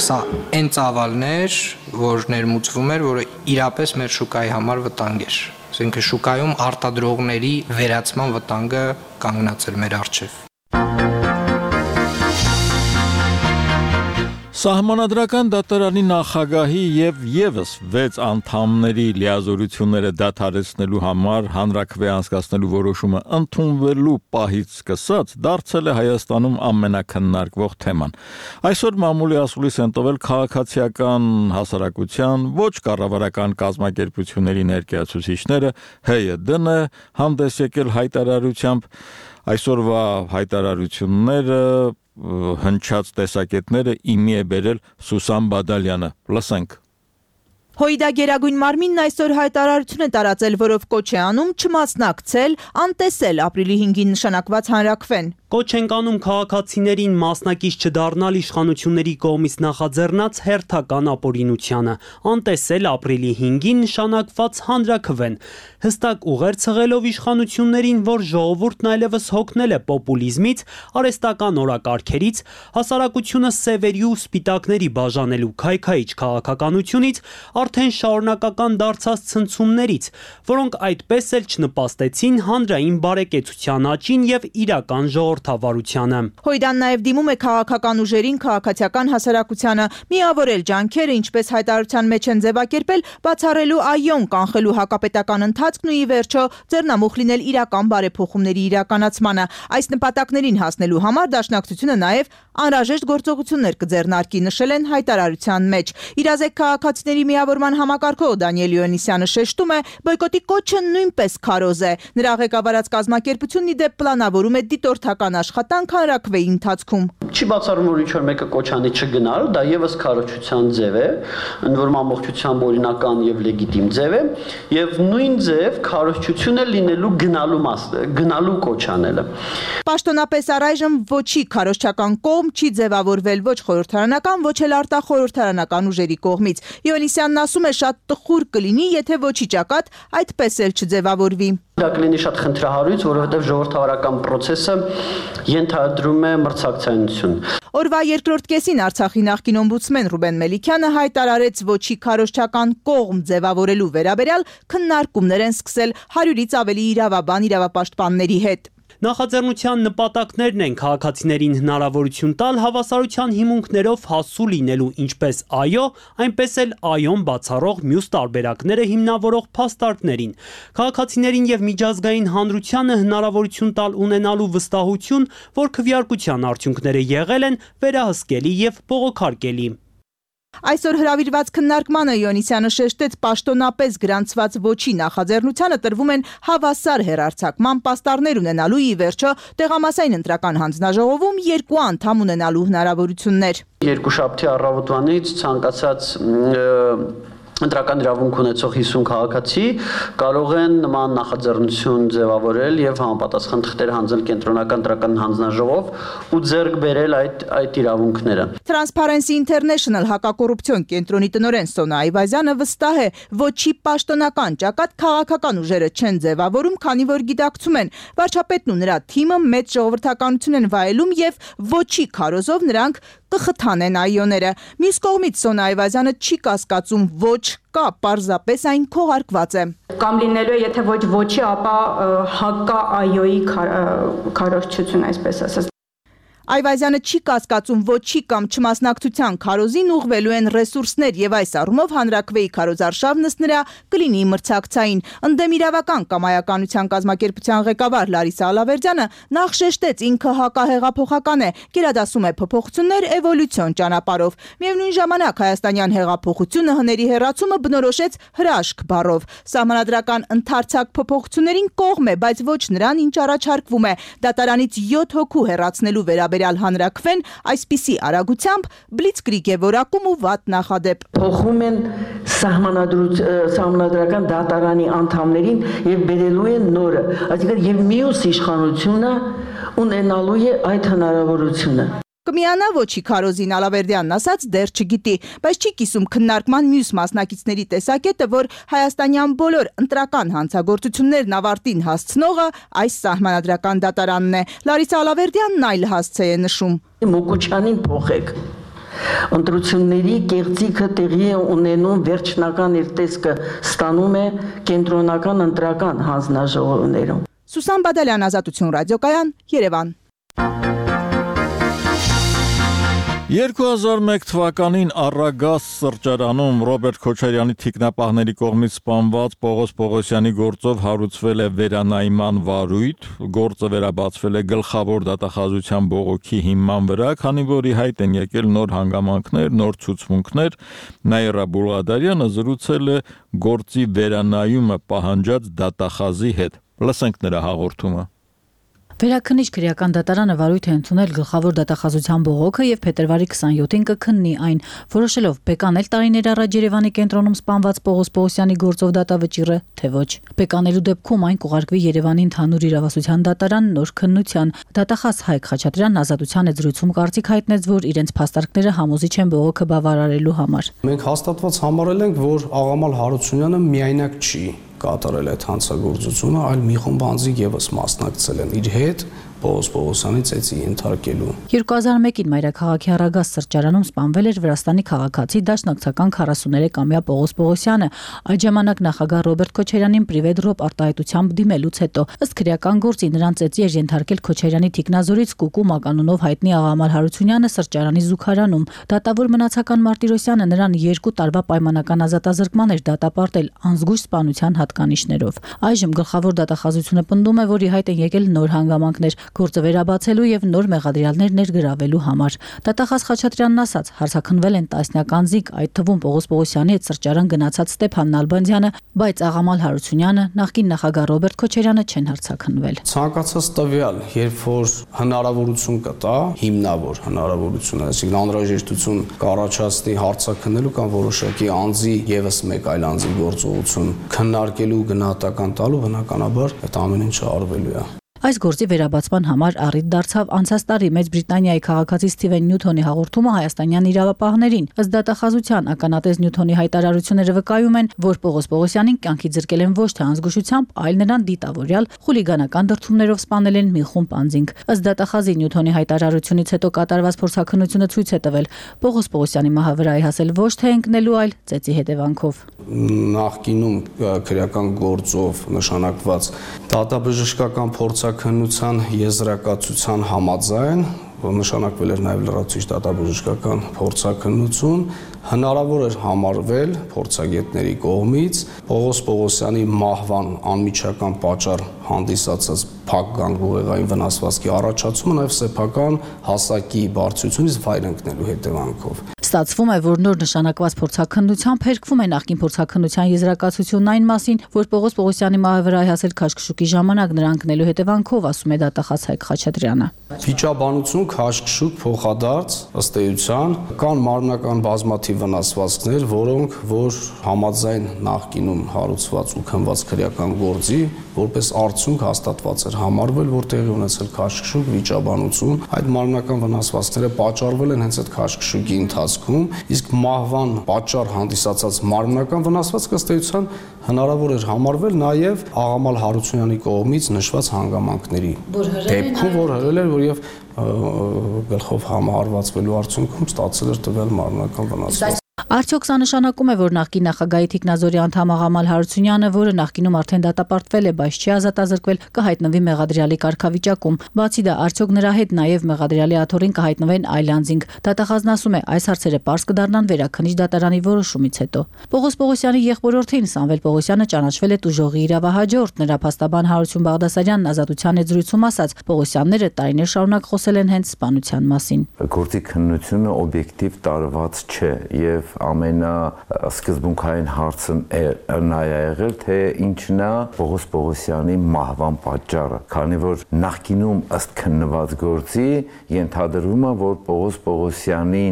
սա այն ծավալներ, որ ներմուծվում էր, որը իրապես մեր շուկայի համար վտանգ էր։ Այսինքն շուկայում արտադրողների վերացման վտանգը կանգնած էր մեր առջև։ Սահմանադրական դատարանի նախագահի եւ եւս վեց անդամների լիազորությունները դադարեցնելու համար հանրաքվե անցկացնելու որոշումը ընդունվելու պահից սկսած դարձել է Հայաստանում ամենակննարկվող թեման։ Այսօր մամուլի ասուլիս են տվել քաղաքացիական հասարակության ոչ կառավարական կազմակերպությունների ներկայացուցիչները, Հ Ե Դ-ն է հանդես եկել հայտարարությամբ, այսօրվա հայտարարությունները հնչած տեսակետները իմի է բերել Սուսան Բադալյանը։ Լսենք։ Հույդա Գերագույն մարմինն այսօր հայտարարություն է տարածել, որով կոչ է անում չմասնակցել, անտեսել ապրիլի հինգին նշանակված հանրաքվեն։ Կոչ ենք անում քաղաքացիներին մասնակից չդառնալ իշխանությունների կողմից նախաձեռնած հերթական ապօրինությանը, անտեսել ապրիլի հինգին նշանակված հանրաքվեն, հստակ ուղեր ցղելով իշխանություններին, որ ժողովուրդն այլևս հոգնել է պոպուլիզմից, արհեստական օրակարգերից, հասարակությունը սևերի ու սպիտակների բաժանելու քայքայիչ քաղաքականությունից, արդեն շարունակական դարձած ցնցումներից, որոնք այդպես էլ չնպաստեցին հանրային բարեկեցության աճին եւ իրական ժողովրդի ժողովրդավարությանը։ Հոյդան նաև դիմում է քաղաքական ուժերին, քաղաքացիական հասարակությանը միավորել ջանքերը, ինչպես հայտարարության մեջ են ձևակերպել, բացառելու այոն կանխելու հակապետական ընթացքն ու ի վերջո ձեռնամուխ լինել իրական բարեփոխումների իրականացմանը։ Այս նպատակներին հասնելու համար Դաշնակցությունը նաև անհրաժեշտ գործողություններ կձեռնարկի, նշել են հայտարարության մեջ։ Իրազեկ քաղաքացիների միավորման համակարգող Դանիել Իոնիսյանը շեշտում է, բոյկոտի կոչը նույնպես քարոզ է։ Նրա ղեկավարած կազմակերպությունն ի դեպ պլանավորում է դիտորդական աշխատանք հանրաքվեի ընթացքում։ Չի բացառում, որ ինչ-որ մեկը կոչանի չգնալ, դա եւս քարոզչության ձև է, ընդ որում ամբողջությամբ օրինական եւ լեգիտիմ ձև է, եւ նույն ձև քարոզչությունը լինելու գնալու մասը, գնալու կոչանելը։ Պաշտոնապես առայժմ ոչի քարոզչական կողմ չի ձևավորվել ոչ խորհրդարանական, ոչ էլ արտախորհրդարանական ուժերի կողմից։ Իոնիսյանն ասում է, շատ տխուր կլինի, եթե ոչի ճակատ այդպես էլ չձևավորվի։ Դա կլինի շատ խնդրահարույց, որովհետև ժողովրդավարական process-ը ենթադրում է մրցակցայնություն։ Օրվա երկրորդ կեսին Արցախի նախկին օմբուդսմեն Ռուբեն Մելիքյանը հայտարարեց ոչի քարոզչական կողմ ձևավորելու վերաբերյալ քննարկումներ են սկսել հարյուրից ավելի իրավաբան իրավապաշտպանների հետ։ Նախաձեռնության նպատակներն են քաղաքացիներին հնարավորություն տալ հավասարության հիմունքներով հասու լինելու ինչպես այո, այնպես էլ այոն բացառող մյուս տարբերակները հիմնավորող փաստարկներին։ Քաղաքացիներին եւ միջազգային հանրությանը հնարավորություն տալ ունենալու վստահություն, որ քվեարկության արդյունքները եղել են վերահսկելի եւ բողոքարկելի։ Այսօր հրավիրված քննարկմանը Իոնիսյանը շեշտեց պաշտոնապես գրանցված ոչի նախաձեռնությանը տրվում են հավասար հեռարձակման պաստառներ ունենալու ի վերջո տեղամասային ընտրական հանձնաժողովում երկու անդամ ունենալու հնարավորություններ։ Երկուշաբթի առավոտվանից ցանկացած ընտրական իրավունք ունեցող հիսուն քաղաքացի կարող են նման նախաձեռնություն ձևավորել եւ համապատասխան թղթեր հանձնել կենտրոնական ընտրական հանձնաժողով ու ձեռք բերել այդ այդ իրավունքները։ Transparency International հակակոռուպցիոն կենտրոնի տնօրեն Սոնա Այվազյանը վստահ է, ոչի պաշտոնական ճակատ քաղաքական ուժերը չեն ձևավորում, քանի որ գիտակցում են, վարչապետն ու նրա թիմը մեծ ժողովրդականություն են վայելում եւ ոչի քարոզով նրանք կխթանեն այոները։ Մյուս կողմից Սոնա Այվազյանը չի կասկածում ոչ կա, պարզապես այն քողարկված է։ Կամ լինելու է, եթե ոչ ոչի, ապա հակա այոյի քարոզչություն, այսպես ասած։ Այվազյանը չի կասկածում ոչի կամ չմասնակցության քարոզին ուղղվելու են ռեսուրսներ եւ այս առումով հանրաքվեի քարոզարշավն ըստ նրա կլինի մրցակցային։ Ընդդեմ իրավական կամայականության կազմակերպության ղեկավար Լարիսա Ալավերդյանը նախ շեշտեց ինքը հակահեղափոխական է, գերադասում է փոփոխություններ էվոլյուցիոն ճանապարհով։ Միևնույն ժամանակ հայաստանյան հեղափոխությունը հների հեռացումը բնորոշեց հրաշք բառով։ Սահմանադրական ընդարձակ փոփոխություններին կողմ է, բայց ոչ նրան, ինչ առաջարկվում է։ Դատարանից յոթ հոգու հեռացնելու վերաբերյալ Վերաբերյալ հանրաքվեն այսպիսի արագությամբ բլիցկրիգ է որակում ու վատ նախադեպ։ Փոխում են սահմանադրական դատարանի անդամներին եւ բերելու են նորը, այսինքն եւ մյուս իշխանությունը ունենալու է այդ հնարավորությունը։ Կմիանա ոչի քարոզին Ալավերդյանն ասաց դեռ չգիտի, բայց չի կիսում քննարկման մյուս մասնակիցների տեսակետը, որ հայաստանյան բոլոր ընտրական հանցագործություններն ավարտին հասցնողը այս սահմանադրական դատարանն է։ Լարիսա Ալավերդյանն այլ հասցե է նշում։ Մոկոչյանին փոխեք։ Ընտրությունների կեղծիքը տեղի է ունենում, վերջնական իր տեսքը ստանում է կենտրոնական ընտրական հանձնաժողովներում։ Սուսան Բադալյան, Ազատություն ռադիոկայան, Երևան։ երկու հազար մեկ թվականին Առագաս սրճարանում Ռոբերտ Քոչարյանի թիկնապահների կողմից սպանված Պողոս Պողոսյանի գործով հարուցվել է վերանայման վարույթ, գործը վերաբացվել է գլխավոր դատախազության բողոքի հիման վրա, քանի որ ի հայտ են եկել նոր հանգամանքներ, նոր ցուցմունքներ, Նաիրա Բուլղադարյանը զրուցել է գործի վերանայումը պահանջած դատախազի հետ։ Լսենք նրա հաղորդումը։ Վերաքննիչ քրեական դատարանը վարույթ է ընդունել գլխավոր դատախազության բողոքը եւ փետրվարի քսաներկուին կքննի այն, որոշելով բեկանել տարիներ առաջ Երևանի կենտրոնում սպանված Պողոս Պողոսյանի գործով դատավճիռը, թե ոչ։ Բեկանելու դեպքում այն կուղարկվի Երևանի ընդհանուր իրավասության դատարան նոր քննության։ Դատախազ Հայկ Խաչատրյանն Ազատության հետ զրույցում կարծիք հայտնեց, որ իրենց փաստարկները համոզիչ են բողոքը բավարարելու համար։ Մենք հաստատված համարել ենք, որ Աղամալ Հարությունյանը միայնակ չի կատարել այդ հանցագործությունը, այլ մի խումբ անձիկ եւս մասնակցել են իր հետ, Պողոս Պողոսյանի ծեծի ենթարկելու։ երկու հազար մեկին Մայրաքաղաքի Առագաստ սրճարանում սպանվել էր Վրաստանի քաղաքացի դաշնակցական քառասուներեքամյա Պողոս Պողոսյանը, այդ ժամանակ նախագահ Ռոբերտ Քոչարյանին պրիվետ-ռոպ արտահայտությամբ դիմելուց հետո ըստ քրեական գործի նրան ծեծի էր ենթարկել Քոչարյանի թիկնազորից Կուկու մականունով հայտնի Աղամալ Հարությունյանը սրճարանի զուգարանում։ Դատավոր Մնացական Մարտիրոսյանը նրան երկու տարվա պայմանական ազատազրկման էր դատապարտել անզգույշ սպանության հատկանիշներով։ Այժմ գլխավոր դատախազությունը պնդում է, որ ի հայտ են եկել նոր հանգամանքներ գործը վերաբացելու եւ նոր մեղադրյալներ ներգրավելու համար։ Դատախազ Խաչատրյանն ասաց, հարցաքնվել են տասնյակ անձիկ, այդ թվում Պողոս Պողոսյանի հետ սրճարան գնացած Ստեփան Նալբանդյանը, բայց Աղամալ Հարությունյանը, նախկին նախագահ Ռոբերտ Քոչարյանը չեն հարցաքնվել։ Ցանկացած տվյալ, երբ որ հնարավորություն կտա, հիմնավոր հնարավորություն, այսինքն անհրաժեշտություն կառաջացնի հարցաքննելու կամ որոշակի անձի եւս մեկ այլ անձի գործողություն քննարկելու գնահատական տալու, բնականաբար այդ ամեն ինչը արվելու է։ Այս գործի վերաբացման համար առիթ դարձավ անցած տարի Մեծ Բրիտանիայի քաղաքացի Սթիվեն Նյութոնի հաղորդումը հայաստանյան իրավապահներին։ Ըստ դատախազության ականատես Նյութոնի հայտարարությունները վկայում են, որ Պողոս Պողոսյանին կյանքի ձրկել են ոչ թե անզգուշությամբ, այլ նրան դիտավորյալ խուլիգանական դրդումներով սպանել են մի խումբ անձինք։ Ըստ դատախազի Նյութոնի հայտարարությունից հետո կատարված փորձաքննությունը ցույց է տվել, Պողոս Պողոսյանի մահը վրա է հասել ոչ թե ընկնելու, այլ ծեծի հետևանքով։ Նախկինում քրեական գործով նշանակված դատաբժշկական փորձաքննության եզրակացության համաձայն նշանակվել էր նաև լրացուցիչ դատաբժշկական փորձաքննություն, հնարավոր էր համարվել փորձագետների կողմից Պողոս Պողոսյանի մահվան անմիջական պատճառ հանդիսացած փակ գանգուղեղային վնասվածքի առաջացումը նաև սեփական հասակի բարձրությունից վայր ընկնելու հետևանքով։ Ստացվում է, որ նոր նշանակված փորձաքննությամբ հերկվում է նախկին փորձաքննության եզրակացությունն այն մասին, որ Պողոս Պողոսյանի մահը վրա է հասել քաշքշուկի ժամանակ նրա ընկնելու հետևանքով, ասում է դատախազ Հայկ Խաչատրյանը։ Վիճաբանություն, քաշքշուկ, փոխադարձ, ըստ էության կան մարմնական բազմաթիվ վնասվածքներ, որոնք որ համաձայն նախկինում հարուցված ու քննված քրեական գործի որպես արդյունք հաստատված էր համարվել, որ տեղի ունեցել քաշքշուկ, վիճաբանություն, այդ մարմնական վնասվածքները պատճառվել են հենց այդ քաշքշուկի ընթացքում, իսկ մահվան պատճառ հանդիսացած մարմնական վնասվածքը ըստ էության հնարավոր էր համարվել նաև Աղամալ Հարությունյանի կողմից նշված հանգամանքների դեպքում, որ հրել էր, որ եւ գլխով համահարվածվելու արդյունքում ստացել էր տվյալ մարմնական վնասվածք։ Արդյոք սա նշանակում է, որ նախկին նախագահի թիկնազորի անդամ Աղամալ Հարությունյանը, որը նախկինում արդեն դատապարտվել է, բայց չի ազատազրկվել, կհայտնվի մեղադրյալի կարգավիճակում։ Բացի դա, արդյոք նրա հետ նաև մեղադրյալի աթոռին կհայտնվեն այլ անձինք։ Դատախազն ասում է, այս հարցերը պարզ կդառնան վերաքննիչ դատարանի որոշումից հետո։ Պողոս Պողոսյանի եղբորորդին Սամվել Պողոսյանը ճանաչվել է տուժողի իրավահաջորդ, նրա փաստաբան Հարություն Բաղդասարյանն ազատության եզրույցում ասաց, Պողոսյանները տարիներ շարունակ խոսել են հենց սպանության մասին։ Գործի քննությունը օբյեկտիվ տարված չէ եւ ամենասկզբունքային հարցն նա է եղել, թե ինչն է Պողոս Պողոսյանի մահվան պատճառը, քանի որ նախկինում ըստ քննված գործի ենթադրվում է, որ Պողոս Պողոսյանի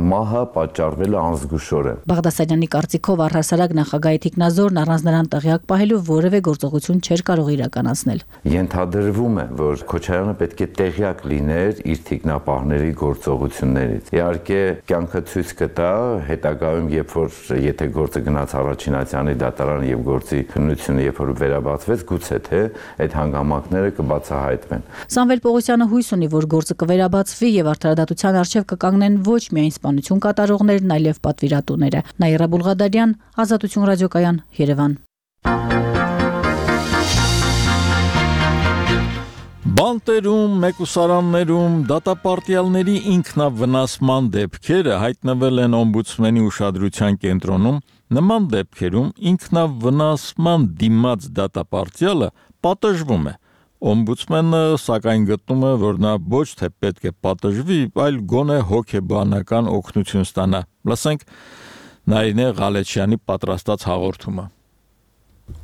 մահը պատճառվել է անզգուշորեն։ Բաղդասարյանի կարծիքով առհասարակ նախագահի թիկնազորն առանց նրան տեղյակ պահելու որևէ գործողություն չէր կարող իրականացնել։ Ենթադրվում է, որ Քոչարյանը պետք է տեղյակ լիներ իր թիկնապահների գործողություններից։ Իհարկե, կյանքը ցույց կտա հետագայում, երբ որ եթե գործը գնաց առաջին ատյանի դատարան եւ գործի քննությունը երբ որ վերաբացվեց, գուցե թե այդ հանգամանքները կբացահայտվեն։ Սամվել Պողոսյանը հույս ունի, որ գործը կվերաբացվի եւ արդարադատության առջեւ կկանգնեն ոչ միայն սպանություն կատարողներն, այլև պատվիրատուները։ Նաիրա Բուլղադարյան, Ազատություն ռադիոկայան, Երևան։ Բանտերում, մեկուսարաններում դատապարտյալների ինքնավնասման դեպքերը հայտնվել են օմբուդսմենի ուշադրության կենտրոնում։ Նման դեպքերում ինքնավնասման դիմաց դատապարտյալը պատժվում է։ Օմբուդսմենը սակայն գտնում է, որ նա ոչ թե պետք է պատժվի, այլ գոնե հոգեբանական օգնություն ստանա։ Լսենք Նարինե Ղալեչյանի պատրաստած հաղորդումը։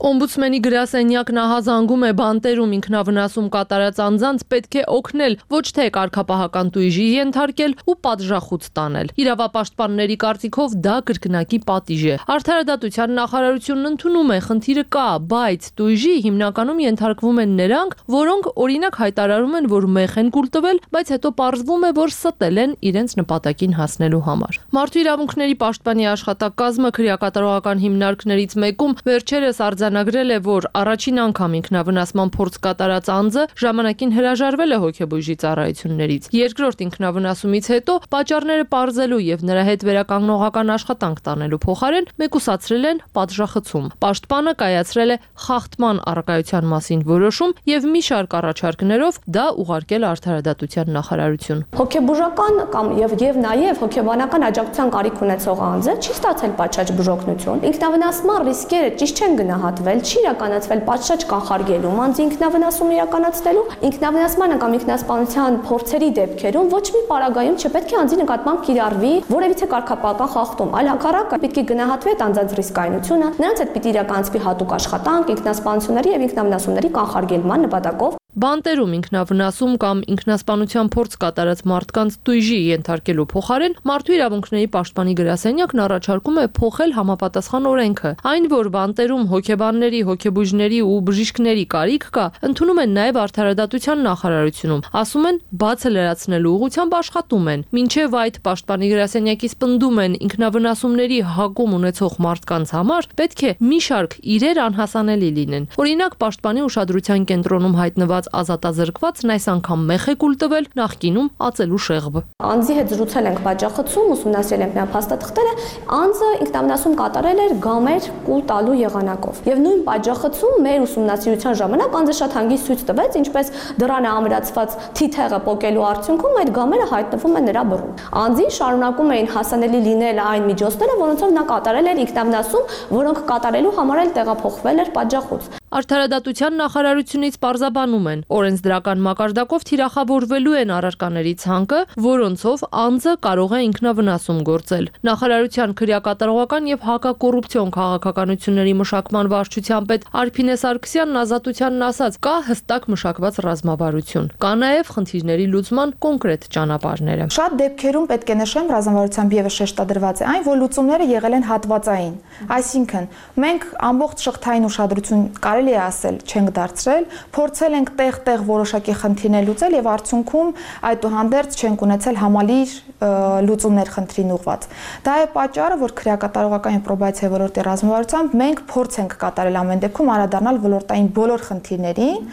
Օմբուդսմենի գրասենյակն ահազանգում է բանտերում ինքնավնասում կատարած անձանց պետք է օգնել, ոչ թե կարգապահական տույժի ենթարկել ու պատժախուց տանել։ Իրավապաշտպանների կարծիքով դա կրկնակի պատիժ է։ Արդարադատության նախարարությունն ընդունում է, խնդիրը կա, բայց տույժի հիմնականում ենթարկվում են նրանք, որոնք օրինակ հայտարարում են, որ մեղ են կուլ տվել, բայց հետո պարզվում է, որ ստել են իրենց նպատակին հասնելու համար։ Մարդու իրավունքների պաշտպանի աշխատակազմը քրեակատարողական հիմնարկներից մեկում վերջերս արձանագրել է, որ առաջին անգամ ինքնավնասման փորձ կատարած անձը ժամանակին հրաժարվել է հոգեբույժի ծառայություններից։ Երկրորդ ինքնավնասումից հետո պատճառները պարզելու եւ նրա հետ վերականգնողական աշխատանք տանելու փոխարեն մեկուսացրել են պատժախցում։ Պաշտպանը կայացրել է խախտման առարկայության մասին որոշում եւ մի շարք առաջարկներով դա ուղարկել արդարադատության նախարարություն։ Հոգեբուժական կամ եւ եւ նաեւ հոգեբանական աջակցության կարիք ունեցող անձը չի ստացել պատշաճ բուժօգնություն։ Ինքնավնասման ռիսկերը ճիշտ չեն գնահատվել, չի իրականացվել պատշաճ կանխարգելում անձի ինքնավնասում իրականացնելու, ինքնավնասմանը կամ ինքնասպանության փորձերի դեպքերում ոչ մի պարագայում չպետք է անձի նկատմամբ կիրառվի որևիցե կարգապահական խախտում, այլ հակառակը պետք է գնահատվի այդ անձանց ռիսկայնությունը, նրանց հետ պիտի իրականացվի հատուկ աշխատանք, ինքնասպանությունների եւ ինքնավնասումների կանխարգելման նպատակով։ Բանտերում ինքնավնասում կամ ինքնասպանության փորձ կատարած մարդկանց տույժի ենթարկելու փոխարեն մարդու իրավունքների պաշտպանի գրասենյակն առաջարկում է փոխել համապատասխան օրենքը։ Այն, որ բանտերում հոգեբանների, հոգեբույժների ու բժիշկների կարիք կա, ընդունում են նաև արդարադատության նախարարությունում։ Ասում են, բացը լրացնելու ուղղությամբ աշխատում են։ Մինչև այդ պաշտպանի գրասենյակից պնդում են ինքնավնասումների հակում ունեցող մարդկանց համար պետք է մի շարք իրեր անհասանելի լինեն։ Օրինակ, պաշտպանի ուշադրության կենտրոնում հայտնված ազատազրկվածն այս անգամ մեղ է կուլ տվել, նախկինում ածելու շեղբ։ Անձի հետ զրուցել ենք պատժախցում, ուսումնասիրել ենք նրա փաստաթղթերը, անձը ինքնավնասում կատարել էր գամեր կուլ տալու եղանակով։ Եվ նույն պատժախցում մեր ուսումնասիրության ժամանակ անձը շատ հանգիստ ցույց տվեց, ինչպես դրանը ամրացված թիթեղը պոկելու արդյունքում այդ գամերը հայտնվում են նրա բռնում։ Անձին շարունակում էին հասանելի լինել այն միջոցները, որոնցով նա կատարել էր ինքնավնասում, որոնք կատարելու համար էլ տեղափոխվել էր պատժախոց։ Արդարադատության նախարարությունից պարզաբանում են, օրենսդրական մակարդակով թիրախավորվելու են առարկաների ցանկը, որոնցով անձը կարող է ինքնավնասում գործել։ Նախարարության քրեակատարողական եւ հակակոռուպցիոն քաղաքականությունների մշակման վարչության պետ Արփինե Սարգսյանն Ազատությանն ասաց, կա հստակ մշակված ռազմավարություն։ Կա նաեւ խնդիրների լուծման կոնկրետ ճանապարհները։ Շատ դեպքերում պետք է նշեմ, ռազմավարությամբ եւս շեշտադրված է այն, որ լուծումները եղել են հատվածային։ Այսինքն, մենք ամբողջ շղթային ուշադրություն կարելի է ասել չենք դարձրել, փորձել ենք տեղ-տեղ որոշակի խնդիրներ լուծել եւ արդյունքում այդուհանդերձ չենք ունեցել համալիր լուծումներ խնդրին ուղված։ Դա է պատճառը, որ քրեակատարողական եւ պրոբացիայի ոլորտի ռազմավարությամբ մենք փորձ ենք կատարել ամեն դեպքում անդրադառնալ ոլորտային բոլոր խնդիրներին։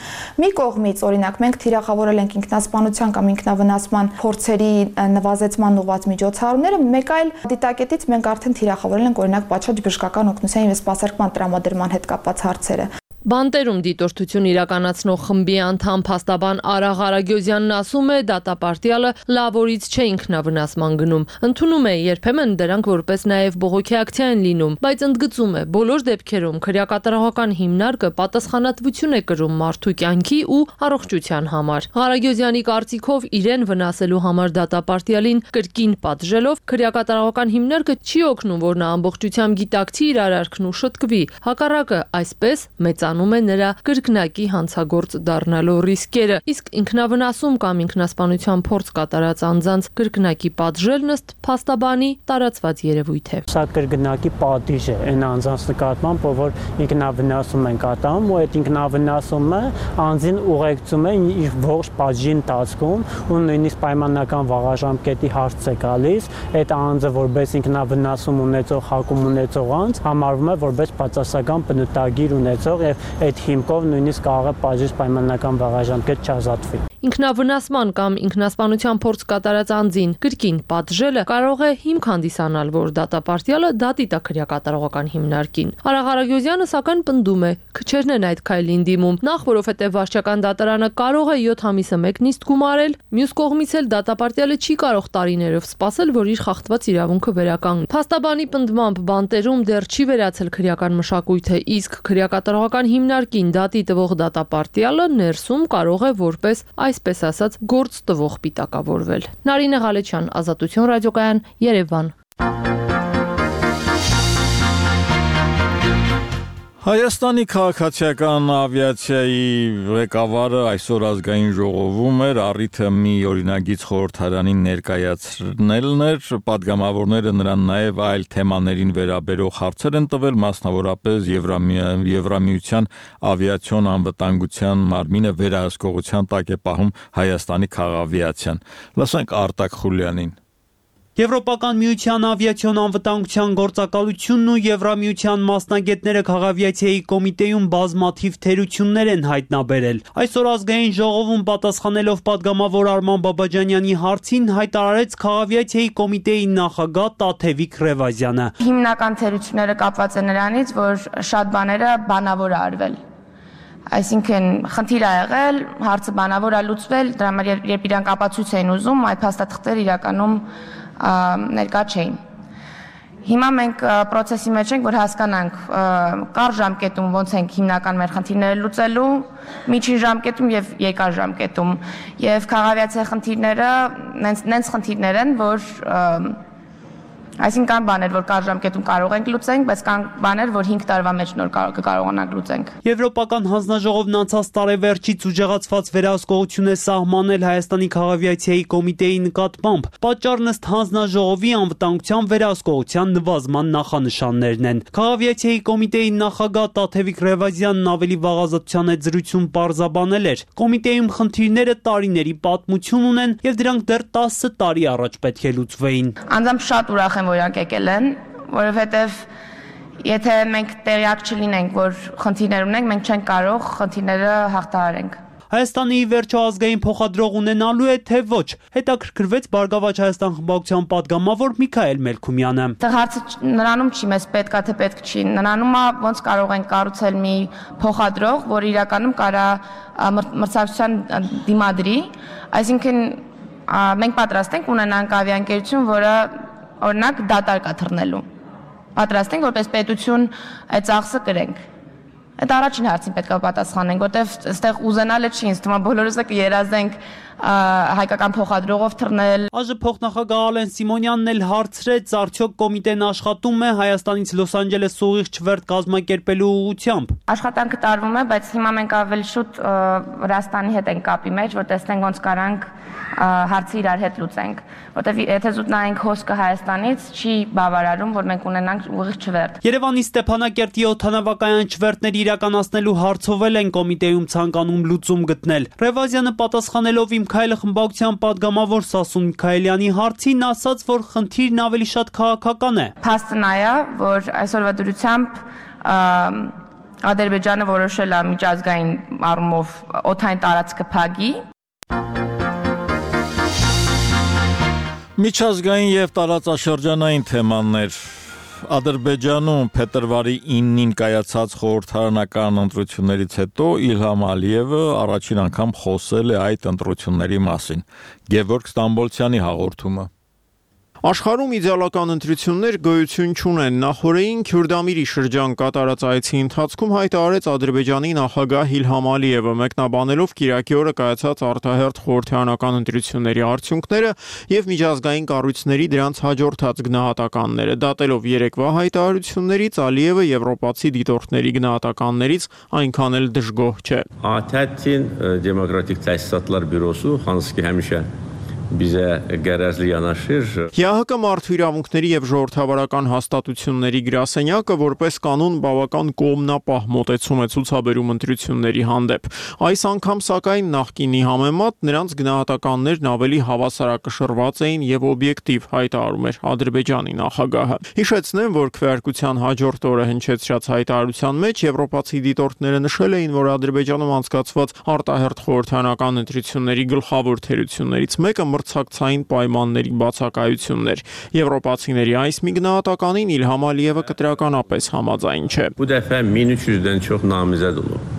Մի կողմից, օրինակ, մենք թիրախավորել ենք ինքնասպանության կամ ինքնավնասման փորձերի նվազեցման ուղված միջոցառումները, մեկ այլ դիտակետից մենք արդեն թիրախավորել ենք օրինակ պատշաճ բժշկական օգնության եւ սպասարկման տրամադրման հետ կապված հարցերը։ Բանտերում դիտորդություն իրականացնող խմբի անդամ փաստաբան Արա Ղարագյոզյանն ասում է, դատապարտյալը լավորից չէ ինքնավնասման գնում, ընդունում է երբեմն դրանք որպես նաև բողոքի ակցիա են լինում, բայց ընդգծում է, բոլոր դեպքերում քրեակատարողական հիմնարկը պատասխանատվություն է կրում մարդու կյանքի ու առողջության համար։ Ղարագյոզյանի կարծիքով իրեն վնասելու համար դատապարտյալին կրկին պատժելով քրեակատարողական հիմնարկը չի օգնում, որ նա ամբողջությամբ գիտակցի իր արարքն ու շտկվի, հակառակը այսպես մեծ անում է նրա կրկնակի հանցագործ դառնալու ռիսկերը, իսկ ինքնավնասում կամ ինքնասպանության փորձ կատարած անձանց կրկնակի պատժելն ըստ փաստաբանի տարածված երևույթ է։ Սա կրկնակի պատիժ է այն անձանց նկատմամբ, որ ինքնավնասում են կատարում, ու այդ ինքնավնասումը անձին ուղեկցում է իր ողջ պատժի ընթացքում, ու նույնիսկ պայմանական վաղաժամկետի հարց է գալիս, այդ անձը որպես ինքնավնասում ունեցող, հակում ունեցող անձ համարվում է որպես բացասական բնութագիր ունեցող եւ այդ հիմքով նույնիսկ կարող է պատժից պայմանական վաղաժամկետ չազատվի։ Ինքնավնասման կամ ինքնասպանության փորձ կատարած անձին կրկին պատժելը կարող է հիմք հանդիսանալ, որ դատապարտյալը դատի տա քրեակատարողական հիմնարկին։ Արա Ղարագյոզյանը սակայն պնդում է, քչերն են այդ քայլին դիմում, նախ որովհետև վարչական դատարանը կարող է յոթ ամիսը մեկ նիստ գումարել, մյուս կողմից էլ դատապարտյալը չի կարող տարիներով սպասել, որ իր խախտված իրավունքը վերականգնի։ Փաստաբանի պնդմամբ բանտերում դեռ չի վերացել քրեական մշակույթը, իսկ քրեակատարողական հիմնարկին դատի տվող դատապարտյալը ներսում կարող է որպես այսպես ասած գործ տվող պիտակավորվել։ Նարինե Ղալեչյան, Ազատություն ռադիոկայան, Երևան։ Հայաստանի քաղաքացիական ավիացիայի ղեկավարը այսօր ազգային ժողովում էր, առիթը մի օրինագիծ խորհրդարանին ներկայացնելն էր, պատգամավորները նրան նաև այլ թեմաներին վերաբերող հարցեր են տվել, մասնավորապես Եվրամիության ավիացիոն անվտանգության մարմինը վերահսկողության տակ է պահում Հայաստանի քաղավիացիան։ Լսենք Արտակ Խուլյանին։ Եվրոպական միության ավիացիոն անվտանգության գործակալությունն ու Եվրամիության մասնագետները քաղավիացիայի կոմիտեում բազմաթիվ թերություններ են հայտնաբերել։ Այսօր ազգային ժողովում պատասխանելով падգամավոր Արման Բաբաջանյանի հարցին հայտարարեց քաղավիացիայի կոմիտեի նախագահ Տաթևիկ Ռևազյանը։ Հիմնական թերությունները կապված են նրանից, որ շատ բաները բանավոր է արվել։ Այսինքն խնդիր է եղել, հարցը բանավոր է լուծվել, դրա համար երբ իրանք ապացույց էին ուզում, այդ փաստաթղթերը իրականում ներկա չէին։ Հիմա մենք process-ի մեջ ենք, որ հասկանանք կար ժամկետում ոնց ենք հիմնական մեր խնդիրները լուծելու, միջին ժամկետում եւ երկար ժամկետում։ Եվ քաղաքացիական խնդիրները նենց խնդիրներ են, որ այսինքն կան բաներ, որ կար ժամկետում կարող ենք լուծենք, բայց կան բաներ, որ հինգ տարվա մեջ նոր կկարողանանք լուծենք։ Եվրոպական հանձնաժողովն անցած տարեվերջից ուժեղացված վերահսկողություն է սահմանել Հայաստանի քաղաքացիայի կոմիտեի նկատմամբ։ Պատճառն ըստ հանձնաժողովի անվտանգության վերահսկողության նվազման նախանշաններն են։ Քաղաքացիայի կոմիտեի նախագահ Տաթևիկ Ռևազյանն ավելի վաղազատության հետ զրույցում պարզաբանել էր. կոմիտեում խնդիրները տարիների պատմություն ունեն եւ դրանք դեռ տասը տարի առաջ պետք է լուծվեին։ Անձամբ շատ ուրախ եմ, որ իրանք եկել են, որովհետև եթե մենք տեղյակ չլինենք, որ խնդիրներ ունենք, մենք չենք կարող խնդիրները հաղթահարենք։ Հայաստանի ի վերջո ազգային փոխադրող ունենալու է, թե ոչ, հետաքրքրվեց Բարգավաճ Հայաստան խմբակցության падգամավոր Միքայել Մելքումյանը։ Դա հարցը նրանում չի, մեզ պետքա թե պետք չի, նրանում է ոնց կարող ենք կառուցել մի փոխադրող, որ իրականում կարա մրցակցության դիմադրի, այսինքն մենք պատրաստ ենք ունենանք ավիաընկերություն, որը օրինակ դատարկ է թռնելու։ Պատրաստ ենք որպես պետություն այդ ծախսը կրենք։ Այդ առաջին հարցին պետք է պատասխանենք, որտեվ այստեղ ուզենալը չի, ինձ թվում է բոլորս կերազենք հայկական փոխադրողով թռնել։ ԱԺ փոխնախագահ Ալեն Սիմոնյանն էլ հարցրեց, արդյոք կոմիտեն աշխատում է Հայաստանից Լոս Անջելես ուղիղ չվերթ կազմակերպելու ուղղությամբ։ Աշխատանքը տարվում է, բայց հիմա մենք ավելի շուտ Վրաստանի հետ ենք կապի մեջ, որ տեսնենք ոնց կարանք հարցը իրար հետ լուծենք, որտեվ եթե զուտ նայենք հոսքը Հայաստանից, չի բավարարում, որ մենք ունենանք ուղիղ չվերթ։ Երևանի Ստեփանակերտի օդանավակայան չվերթներ իրականացնելու հարցով էլ են կոմիտեում ցանկանում լուծում գտնել։ Ռևազյանը պատասխանելով Իմ Քայլը խմբակցության падգամավոր Սասուն Միքայելյանի հարցին ասաց, որ խնդիրն ավելի շատ քաղաքական է։ Փաստը նա է, որ այսօրվա դրությամբ Ադրբեջանը որոշել է միջազգային առումով օդային տարածքը փակի։ Միջազգային եւ տարածաշրջանային թեմաներ Ադրբեջանում փետրվարի իննին կայացած խորհրդարանական ընտրություններից հետո Իլհամ Ալիևը առաջին անգամ խոսել է այդ ընտրությունների մասին։ Գևորգ Ստամբոլցյանի հաղորդումը։ Աշխարհում իդեալական ընտրություններ գոյություն չունեն։ Նախորդին Քյուրդամիրի շրջան կատարած այցի ընթացքում հայտարարեց Ադրբեջանի նախագահ Իլհամ Ալիևը, մեկնաբանելով Կիրակի օրը կայացած արտահերթ խորհրդարանական ընտրությունների արդյունքները եւ միջազգային կառույցների դրանց հաջորդած գնահատականները։ Դատելով երեկվա հայտարարություններից Ալիևը եվրոպացի դիտորդների գնահատականներից այնքան էլ դժգոհ չէ։ Աթեթին դեմոկրատիկ տեսատլար բյուրոսու հանսկի հեմիշե Bizə qərəzli yanaşır։ ՀՀԿ մարդու իրավունքների եւ ժողովրդավարական հաստատությունների գրասենյակը որպես կանոն բավական կողմնապահ մոտեցում է ցուցաբերում ընտրությունների հանդեպ։ Այս անգամ սակայն նախկինի համեմատ նրանց գնահատականներն ավելի հավասարակշռված էին եւ օբյեկտիվ, հայտարարում էր Ադրբեջանի նախագահը։ Հիշեցնեմ, որ քվեարկության հաջորդ օրը հնչեցրած հայտարարության մեջ եվրոպացի դիտորդները նշել էին, որ Ադրբեջանում անցկացված արտահերթ խորհրդարանական ընտրությունների գլխավոր թերություններից մեկը մրցակցային պայմանների բացակայություններ։ Եվրոպացիների այս մի գնահատականին Իլհամ Ալիևը կտրականապես համաձայն չէ։ Bu dəfə min üç yüzdən çox namizəd olub։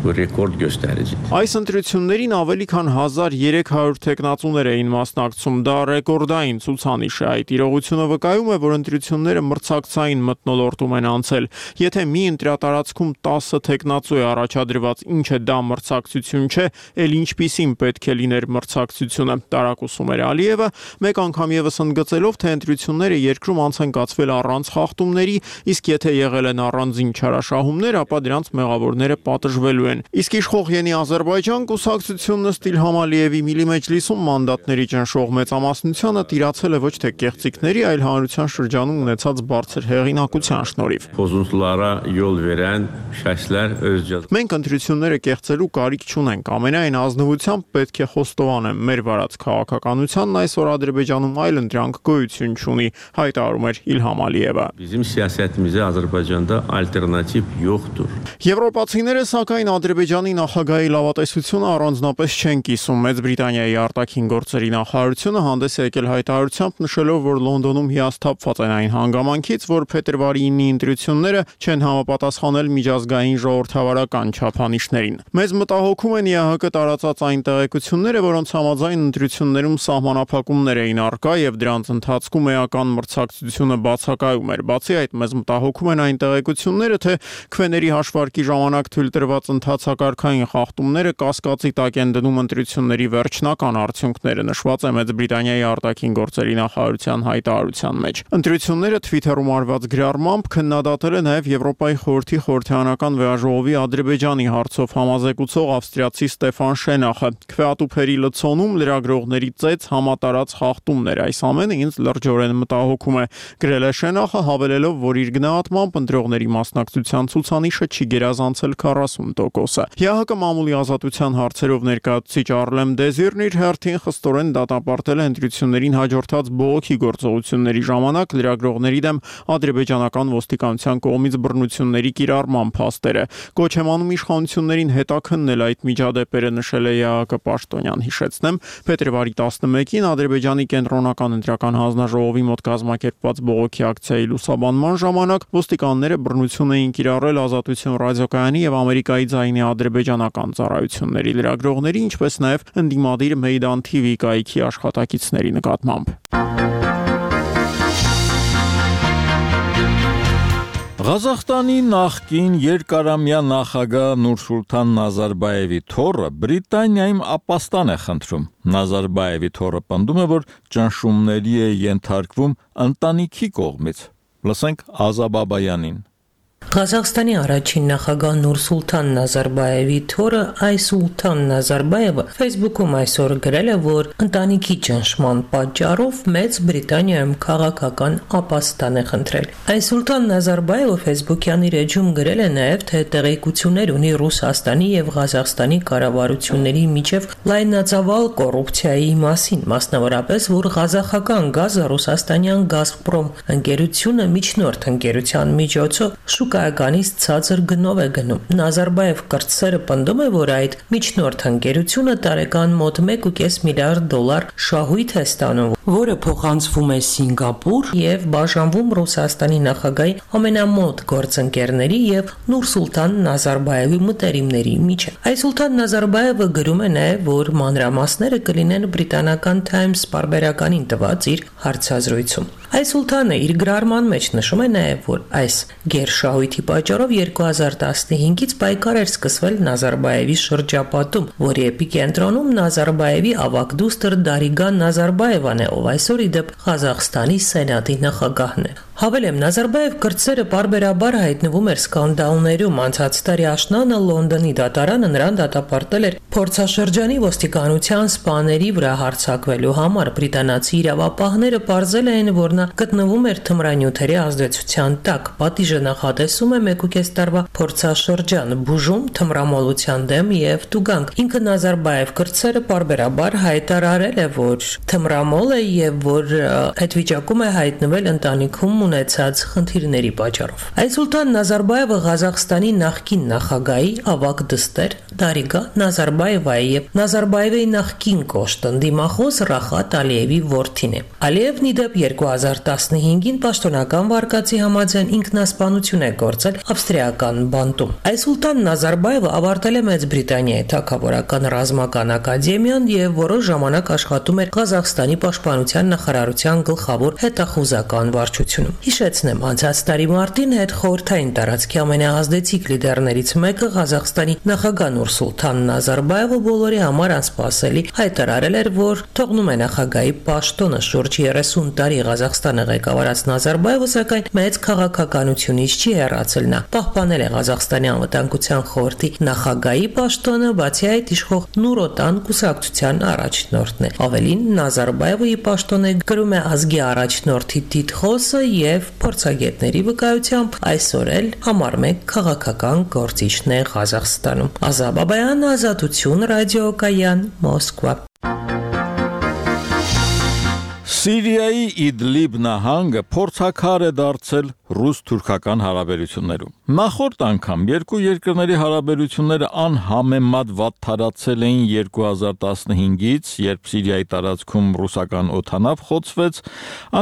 Ռեկորդ գոստարիջի։ Այս ընտրություններին ավելի քան հազար երեք հարյուր տեխնացուներ էին մասնակցում, դա ռեկորդային ցուցանիշ է։ Այդ իրողությունը վկայում է, որ ընտրությունները մրցակցային մթնոլորտում են անցել։ Եթե մի ընտրատարածքում տասը տեխնացու է առաջադրված, ինչը դա մրցակցություն չէ, ել ինչպիսին պետք է լիներ մրցակցությունը, տարակուսում էր Ալիևը, մեկ անգամ եւս ընդգծելով, թե ընտրությունները երկրում անց են կացվել առանց խախտումների, իսկ եթե եղել են առանձին չարաշահումներ, ապա դրանց մեղավորները պատժվելու են։ Իսկ իշխող Յենի Ադրբեջան կուսակցությունն ըստ Իլհամ Ալիևի Միլի Մեջլիսում մանդատների ճնշող մեծամասնությունը տիրացել է ոչ թե կեղծիքների, այլ հանրության շրջանում ունեցած բարձր հեղինակության շնորհիվ։ Pozuntulara yol verən şəxslər özcə Մենք ընտրությունները կեղծելու կարիք չունենք։ Ամենայն ազնվությամբ պետք է խոստովանեմ, մեր վարած քաղաքականությանն այսօր Ադրբեջանում այլ ընտրանք գոյություն չունի, հայտարարում էր Իլհամ Ալիևը։ Bizim siyasətimizə Azərbaycanda alternativ yoxdur։ Եվրոպացիները սակայն Ադրբեջանի նախագահի լավատեսությունը առանձնապես չեն կիսում։ Մեծ Բրիտանիայի արտաքին գործերի նախարարությունը հանդես է եկել հայտարարությամբ նշելով, որ Լոնդոնում հիասթափված են այն հանգամանքից, որ փետրվարի ինը ընտրությունները չեն համապատասխանել միջազգային ժողովրդավարական չափանիշներին։ Մեզ մտահոգում են ԵԱՀԿ տարածած այն տեղեկությունները, որոնց համաձայն ընտրություններում սահմանափակումներ էին առկա եւ դրանց ընթացքում էական մրցակցությունը բացակայում էր։ Բացի այդ, մեզ մտահոգում են այն տեղեկությունները, թե քվեների հաշվարկի ժամանակ թույլ տրված ընթացակարգային խախտումները կասկածի տակ են դնում ընտրությունների վերջնական արդյունքները, նշված է Մեծ Բրիտանիայի արտաքին գործերի նախարարության հայտարարության մեջ։ Ընտրությունները Twitter-ում արված գրառմամբ քննադատել է նաև Եվրոպայի խորհրդի խորհրդարանական վեաժողովի Ադրբեջանի հարցով համազեկուցող ավստրիացի Ստեֆան Շենախը։ Քվեատուփերի լցոնում լրագրողների ծեծ համատարած խախտումներ, այս ամենը ինձ լրջորեն մտահոգում է, գրել է Շենախը, հավելելով, որ իր գնահատմամբ ընտրողների մասնակցության ցուցանիշը չի գերազանցել քառասուն տոկոսը։ ԵԱՀԿ մամուլի ազատության հարցերով ներկայացուցիչ Արլեմ Դեզիրն իր հերթին խստորեն դատապարտել է ընտրություններին հաջորդած բողոքի գործողությունների ժամանակ լրագրողների դեմ ադրբեջանական ոստիկանության կողմից բռնությունների կիրառման փաստերը։ Կոչ եմ անում իշխանություններին հետաքննել այդ միջադեպերը, նշել է ԵԱՀԿ պաշտոնյան։ Հիշեցնեմ, փետրվարի տասնմեկին Ադրբեջանի կենտրոնական ընտրական հանձնաժողովի մոտ կազմակերպված բողոքի ակցիայի լուսաբանման ժամանակ ոստիկանները բռնություն էին կիրառել Ազատություն ռադիոկայանի եւ Ամերիկայի ձայնի ադրբեջանական ծառայությունների լրագրողների, ինչպես նաեւ ընդդիմադիր Մեյդան թի վի կայքի աշխատակիցների նկատմամբ։ Ղազախստանի նախկին երկարամյա նախագահ Նուրսուլտան Նազարբայևի թոռը Բրիտանիայում ապաստան է խնդրում։ Նազարբայևի թոռը պնդում է, որ ճնշումների է ենթարկվում ընտանիքի կողմից։ Լսենք Ազա Բաբայանին։ Ղազախստանի առաջին նախագահ Նուրսուլտան Նազարբայևի թոռը Այսուլտան Նազարբայևը Facebook-ում այսօր գրել է, որ ընտանիքի ճնշման պատճառով Մեծ Բրիտանիայում քաղաքական ապաստան է խնդրել։ Այսուլտան Նազարբայևը Facebook-յան իր էջում գրել է նաև, թե տեղեկություններ ունի Ռուսաստանի եւ Ղազախստանի կառավարությունների միջև լայնածավալ կոռուպցիայի մասին, մասնավորապես, որ ղազախական գազը ռուսաստանյան Գազպրոմ ընկերությունը միջնորդ ընկերության միջոցով շուկայականից ցածր գնով է գնում։ Նազարբայև կրտսերը պնդում է, որ այդ միջնորդ ընկերությունը տարեկան մոտ մեկ ու կես միլիարդ դոլար շահույթ է ստանում, որը փոխանցվում է Սինգապուր եւ բաժանվում Ռուսաստանի նախագահի ամենամոտ գործընկերների եւ Նուրսուլտան Նազարբայևի մտերիմների միջեւ։ Այսուլտան Նազարբայևը գրում է նաեւ, որ մանրամասները կլինեն բրիտանական Times պարբերականին տված իր հարցազրույցում։ Այսուլտանը իր գրառման մեջ նշում է նաեւ, որ այս գերշահույթի պատճառով երկու հազար տասնհինգից պայքար էր սկսվել Նազարբայևի շրջապատում, որի էպիկենտրոնում Նազարբայևի ավագ դուստր Դարիգան Նազարբայևան է, ով այսօր ի դեպ Ղազախստանի սենատի նախագահն է։ Հավելեմ, Նազարբայև կրտսերը պարբերաբար հայտնվում էր սկանդալներում, անցած տարի աշնանը Լոնդոնի դատարանը նրան դատապարտել էր փորձաշրջանի ոստիկանության սպաների վրա հարձակվելու համար։ Բրիտանացի իրավապահները պարզել էին, որ նա գտնվում էր թմրանյութերի ազդեցության տակ։ Պատիժը նախատեսում է մեկ ու կես տարվա փորձաշրջան, բուժում, թմրամոլության դեմ եւ տուգանք։ Ինքը Նազարբայև կրտսերը պարբերաբար հայտարարել է, որ թմրամոլ է եւ որ այդ վիճակում է հայտնվել ընտանիքում ունեցած խնդիրների պատճառով։ Այսուլտան Նազարբայևը Ղազախստանի նախկին նախագահի ավագ դստեր Դարիգա Նազարբայևայի եւ Նազարբայևի նախկին կոշտ ընդդիմախոս Ռախատ Ալիևի որդին է։ Ալիևն ի դեպ երկու հազար տասնհինգին պաշտոնական վարկածի համաձայն ինքնասպանություն է գործել ավստրիական բանտում։ Այսուլտան Նազարբայևը ավարտել է Մեծ Բրիտանիայի թագավորական ռազմական ակադեմիան եւ որոշ ժամանակ աշխատում էր Ղազախստանի պաշտպանության նախարարության գլխավոր հետախուզական վարչությունում։ Հիշեցնեմ, անցած տարի մարտին հետ խորհրդային տարածքի ամենաազդեցիկ լիդերներից մեկը Ղազախստանի նախագահ Նուրսուլթան Նազարբաևը բոլորի համար անսպասելի հայտարարել էր, որ թողնում է նախագահի պաշտոնը։ Շուրջ երեսուն տարի Ղազախստանը ղեկավարած Նազարբաևը սակայն մեծ քաղաքականությունից չի հեռացել։ Նա պահպանել է Ղազախստանի անվտանգության խորհրդի նախագահի պաշտոնը, բացի այդ իշխող Նուրոտան կուսակցության առաջնորդն է։ Ավելին, Նազարբաևը ի պաշտոն է գրում է ազգի առաջնորդի տիտղոսը եւ փորձագետների վկայությամբ այսօր էլ համար մեկ քաղաքական գործիչն է Ղազախստանում։ Ազա Բաբայան, Ազատություն, ռադիոկայան, Մոսկվա։ Սիրիայի Իդլիբ նահանգը փորձաքար է դարձել ռուս-թուրքական հարաբերություններում։ Նախորդ անգամ երկու երկրների հարաբերությունները անհամեմատ վատթարացել էին երկու հազար տասնհինգից, երբ Սիրիայի տարածքում ռուսական օդանավ խոցվեց,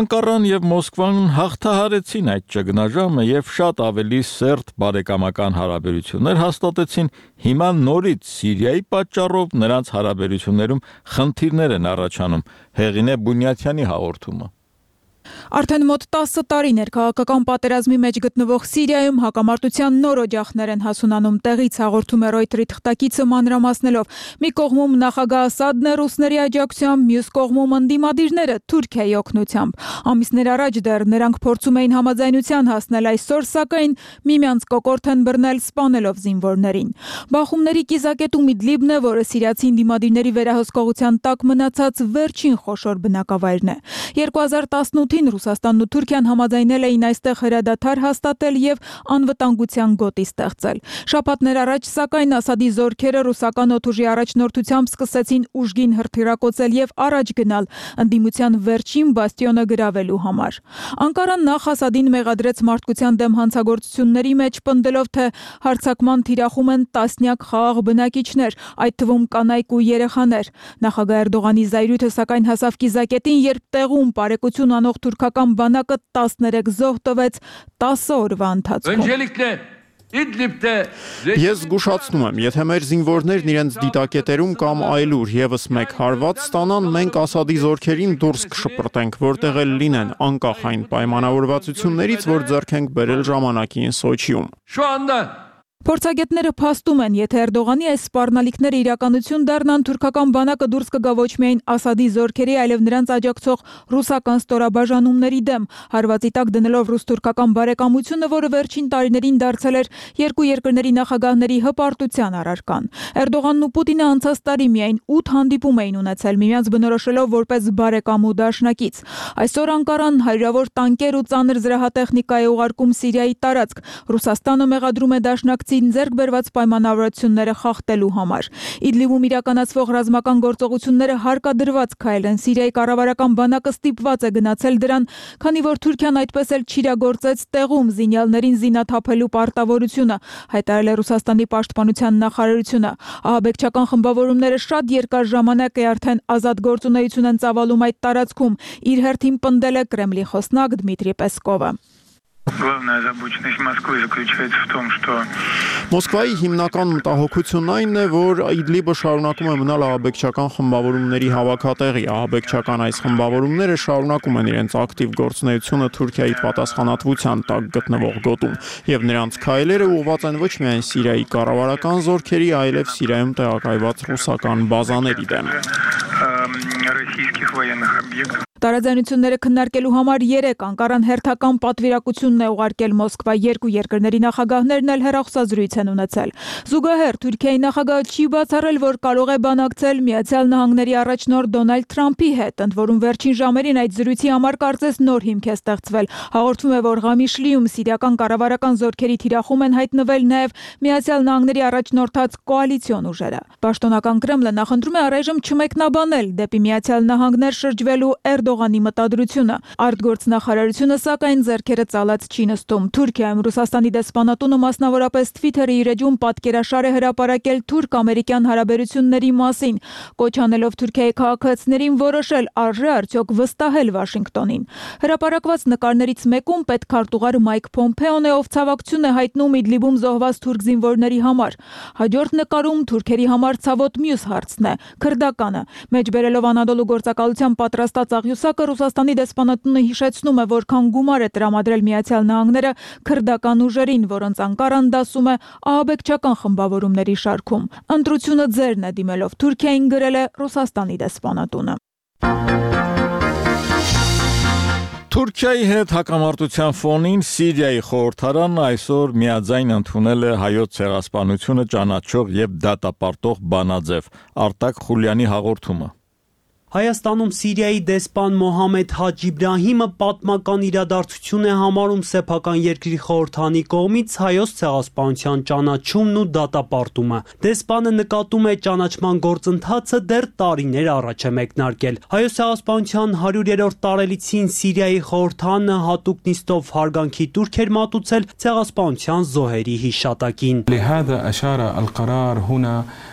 Անկարան եւ Մոսկվան հաղթահարեցին այդ ճգնաժամը եւ շատ ավելի սերտ բարեկամական հարաբերություններ հաստատեցին։ Հիմա նորից Սիրիայի պատճառով նրանց հարաբերություններում խնդիրներ են առաջանում։ Հեղինե Բունյաթյանի հաղորդումը։ Արդեն մոտ տասը տարիներ քաղաքական պատերազմի մեջ գտնվող Սիրիայում հակամարտության նոր օջախներ են հասունանում տեղից, հաղորդում է Reuters-ի թղթակիցը մանրամասնելով։ Մի կողմում նախագահ Ասադն է ռուսների աջակցությամբ, մյուս կողմում ընդդիմադիրները Թուրքիայի օգնությամբ։ Ամիսներ առաջ դեռ նրանք փորձում էին համաձայնության հասնել, այսօր սակայն միմյանց կոկորդ են բռնել սպանելով զինվորներին։ Բախումների կիզակետում Իդլիբն է, որը սիրիացի ընդդիմադիրների վերահսկողության տակ մնացած վերջին խոշոր բնակավայրն է։ երկու հազար տասնութին Ռուսաստանն ու Թուրքիան համաձայնել էին այստեղ հրադադար հաստատել եւ անվտանգության գոտի ստեղծել։ Շաբաթներ առաջ սակայն Ասադի զորքերը ռուսական օդուժի առաջնորդությամբ սկսեցին ուժգին հրթիռակոծել եւ առաջ գնալ ընդդիմության վերջին բաստիոնը գրավելու համար։ Անկարան նախ Ասադին մեղադրեց մարդկության դեմ հանցագործությունների մեջ, պնդելով, թե հարձակման թիրախում են տասնյակ խաղաղ բնակիչներ, այդ թվում կանայք ու երեխաներ։ Նախագահ Էրդողանի զայրույթը սակայն հասավ կիզակետին, երբ տեղում բարեկություն անող թուրքական բանակը տասներեք զոհ տվեց տասը օրվա ընթացքում։ Ես զգուշացնում եմ, եթե մեր զինվորներն իրենց դիտակետերում կամ այլուր եւս մեկ հարված ստանան, մենք Ասադի զորքերին դուրս կշպրտենք, որտեղ էլ լինեն, անկախ այն պայմանավորվածություններից, որ ձեռք ենք բերել ժամանակին Սոչիում։ Փորձագետները փաստում են, եթե Էրդողանի այս սպառնալիքները իրականություն դառնան, թուրքական բանակը դուրս կգա ոչ միայն Ասադի զորքերի, այլև նրանց աջակցող ռուսական ստորաբաժանումների դեմ, հարվածի տակ դնելով ռուս-թուրքական բարեկամությունը, որը վերջին տարիներին դարձել էր երկու երկրների նախագահների հպարտության առարկան։ Էրդողանն ու Պուտինը անցած տարի միայն ութ հանդիպում էին ունեցել, միմյանց բնորոշելով որպես բարեկամ ու դաշնակից։ Այսօր Անկարան հարյուրավոր տանկեր ու ծանր զրահատեխնիկա է ուղարկում Սիրիայի տարածք։ Ռուսաստանը մեղադրում է դաշնակցին ձեռք բերված պայմանավորվածությունները խախտելու համար։ Իդլիբում իրականացվող ռազմական գործողությունները հարկադրված քայլ են։ Սիրիայի կառավարական բանակը ստիպված է գնացել դրան, քանի որ Թուրքիան այդպես էլ չիրագործեց տեղում զինյալներին զինաթափելու պարտավորությունը, հայտարարել է Ռուսաստանի պաշտպանության նախարարությունը։ Ահաբեկչական խմբավորումները շատ երկար ժամանակ է արդեն ազատ գործունեություն են ծավալում այդ տարածքում, իր հերթին պնդել է Կրեմլի խոսնակ Դմիտրի Պեսկովը։ Главная озабоченность Москвы заключается в том, что Մոսկվայի հիմնական մտահոգությունն այն է, որ Իդլիբը շարունակում է մնալ ահաբեկչական խմբավորումների հավաքատեղի։ Ահաբեկչական այս խմբավորումները շարունակում են իրենց ակտիվ գործունեությունը Թուրքիայի պատասխանատվության տակ գտնվող գոտում, եւ նրանց քայլերը ուղղված են ոչ միայն Սիրիայի կառավարական զորքերի, այլև Սիրիայում տեղակայված ռուսական բազաների դեմ։ российских военных объектов. Տարաձայնությունները քննարկելու համար երեք Անկարան հերթական պատվիրակությունն է ուղարկել Մոսկվա, երկու երկրների նախագահներն էլ հեռախոսազրույց են ունեցել։ Զուգահեռ Թուրքիայի նախագահը չի բացառել, որ կարող է բանակցել Միացյալ Նահանգների առաջնորդ Դոնալդ Թրամփի հետ, ընդ որում վերջին ժամերին այդ զրույցի համար կարծես նոր հիմք է ստեղծվել։ Հաղորդվում է, որ Ղամիշլիում սիրիական կառավարական զորքերի թիրախում են հայտնվել նաև Միացյալ Նահանգների առաջնորդած կոալիցիոն ուժերը։ Պաշտոնական Կրեմլը նախընտրում է առայժմ չմեկնաբանել դեպի Միացյալ Նահանգներ շրջվելու Էրդողանի մտադրությունը։ Արտգործնախարարությունը սակայն ձեռքերը ծալած չի նստում։ Թուրքիայում Ռուսաստանի դեսպանատունը մասնավորապես Twitter-ի իր էջում պատկերաշար է հրապարակել թուրք-ամերիկյան հարաբերությունների մասին, կոչ անելով Թուրքիայի քաղաքացիներին որոշել արժե արդյոք վստահել Վաշինգտոնին։ Հրապարակված նկարներից մեկում պետքարտուղար Մայք Փոմփեոն է, ով ցավակցություն է հայտնում Իդլիբում զոհված թուրք զինվորների համար։ Հաջորդ նկարում Թուրքերի համար ցավոտ մյուս հարցն է՝ քրդականը։ Մեջ բերելով Անադոլու գործակալության պատրաստած աղյուս խոսակը Ռուսաստանի դեսպանատունը հիշեցնում է, որքան գումար է տրամադրել Միացյալ Նահանգները քրդական ուժերին, որոնց Անկարան դասում է ահաբեկչական խմբավորումների շարքում։ Ընտրությունը ձերն է դիմելով Թուրքիային, գրել է Ռուսաստանի դեսպանատունը։ Թուրքիայի հետ հակամարտության ֆոնին Սիրիայի խորհրդարանն այսօր միաձայն ընդունել է հայոց ցեղասպանությունը ճանաչող եւ դատապարտող բանաձև Արտակ Խուլյանի հաղորդումը։ Հայաստանում Սիրիայի դեսպան Մոհամեդ Հաջ Իբրահիմը պատմական իրադարձություն է համարում սեփական երկրի խորհրդանի կողմից հայոց ցեղասպանության ճանաչումն ու դատապարտումը։ Դեսպանը նկատում է ճանաչման գործընթացը դեռ տարիներ առաջ է մեկնարկել։ Հայոց ցեղասպանության հարյուրերորդ տարելիցին Սիրիայի խորհրդանը հատուկ նիստով հարգանքի տուրք էր մատուցել ցեղասպանության զոհերի հիշատակին։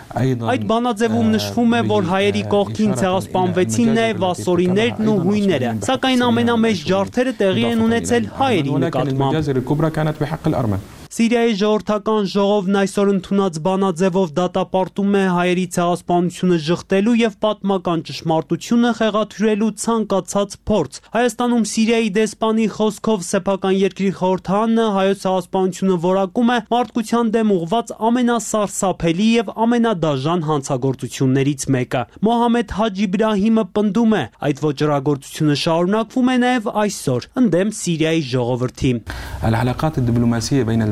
Այդ բանաձևում նշվում է, որ հայերի կողքին ցեղասպանվեցին նաև ասորիներն ու հույները, սակայն ամենամեծ ջարդերը տեղի են ունեցել հայերի նկատմամբ։ Սիրիայի ժողովրդական ժողովն այսօր ընդունած բանաձևով դատապարտում է հայերի ցեղասպանությունը ժխտելու եւ պատմական ճշմարտությունը խեղաթյուրելու ցանկացած փորձ։ Հայաստանում Սիրիայի դեսպանի խոսքով սեփական երկրի խորհրդարանը հայոց ցեղասպանությունը որակում է մարդկության դեմ ուղղված ամենասարսափելի եւ ամենադաժան հանցագործություններից մեկը։ Մոհամեդ Հաջ Իբրահիմը պնդում է, այդ ոճրագործությունը շարունակվում է նաեւ այսօր ընդդեմ Սիրիայի ժողովրդի։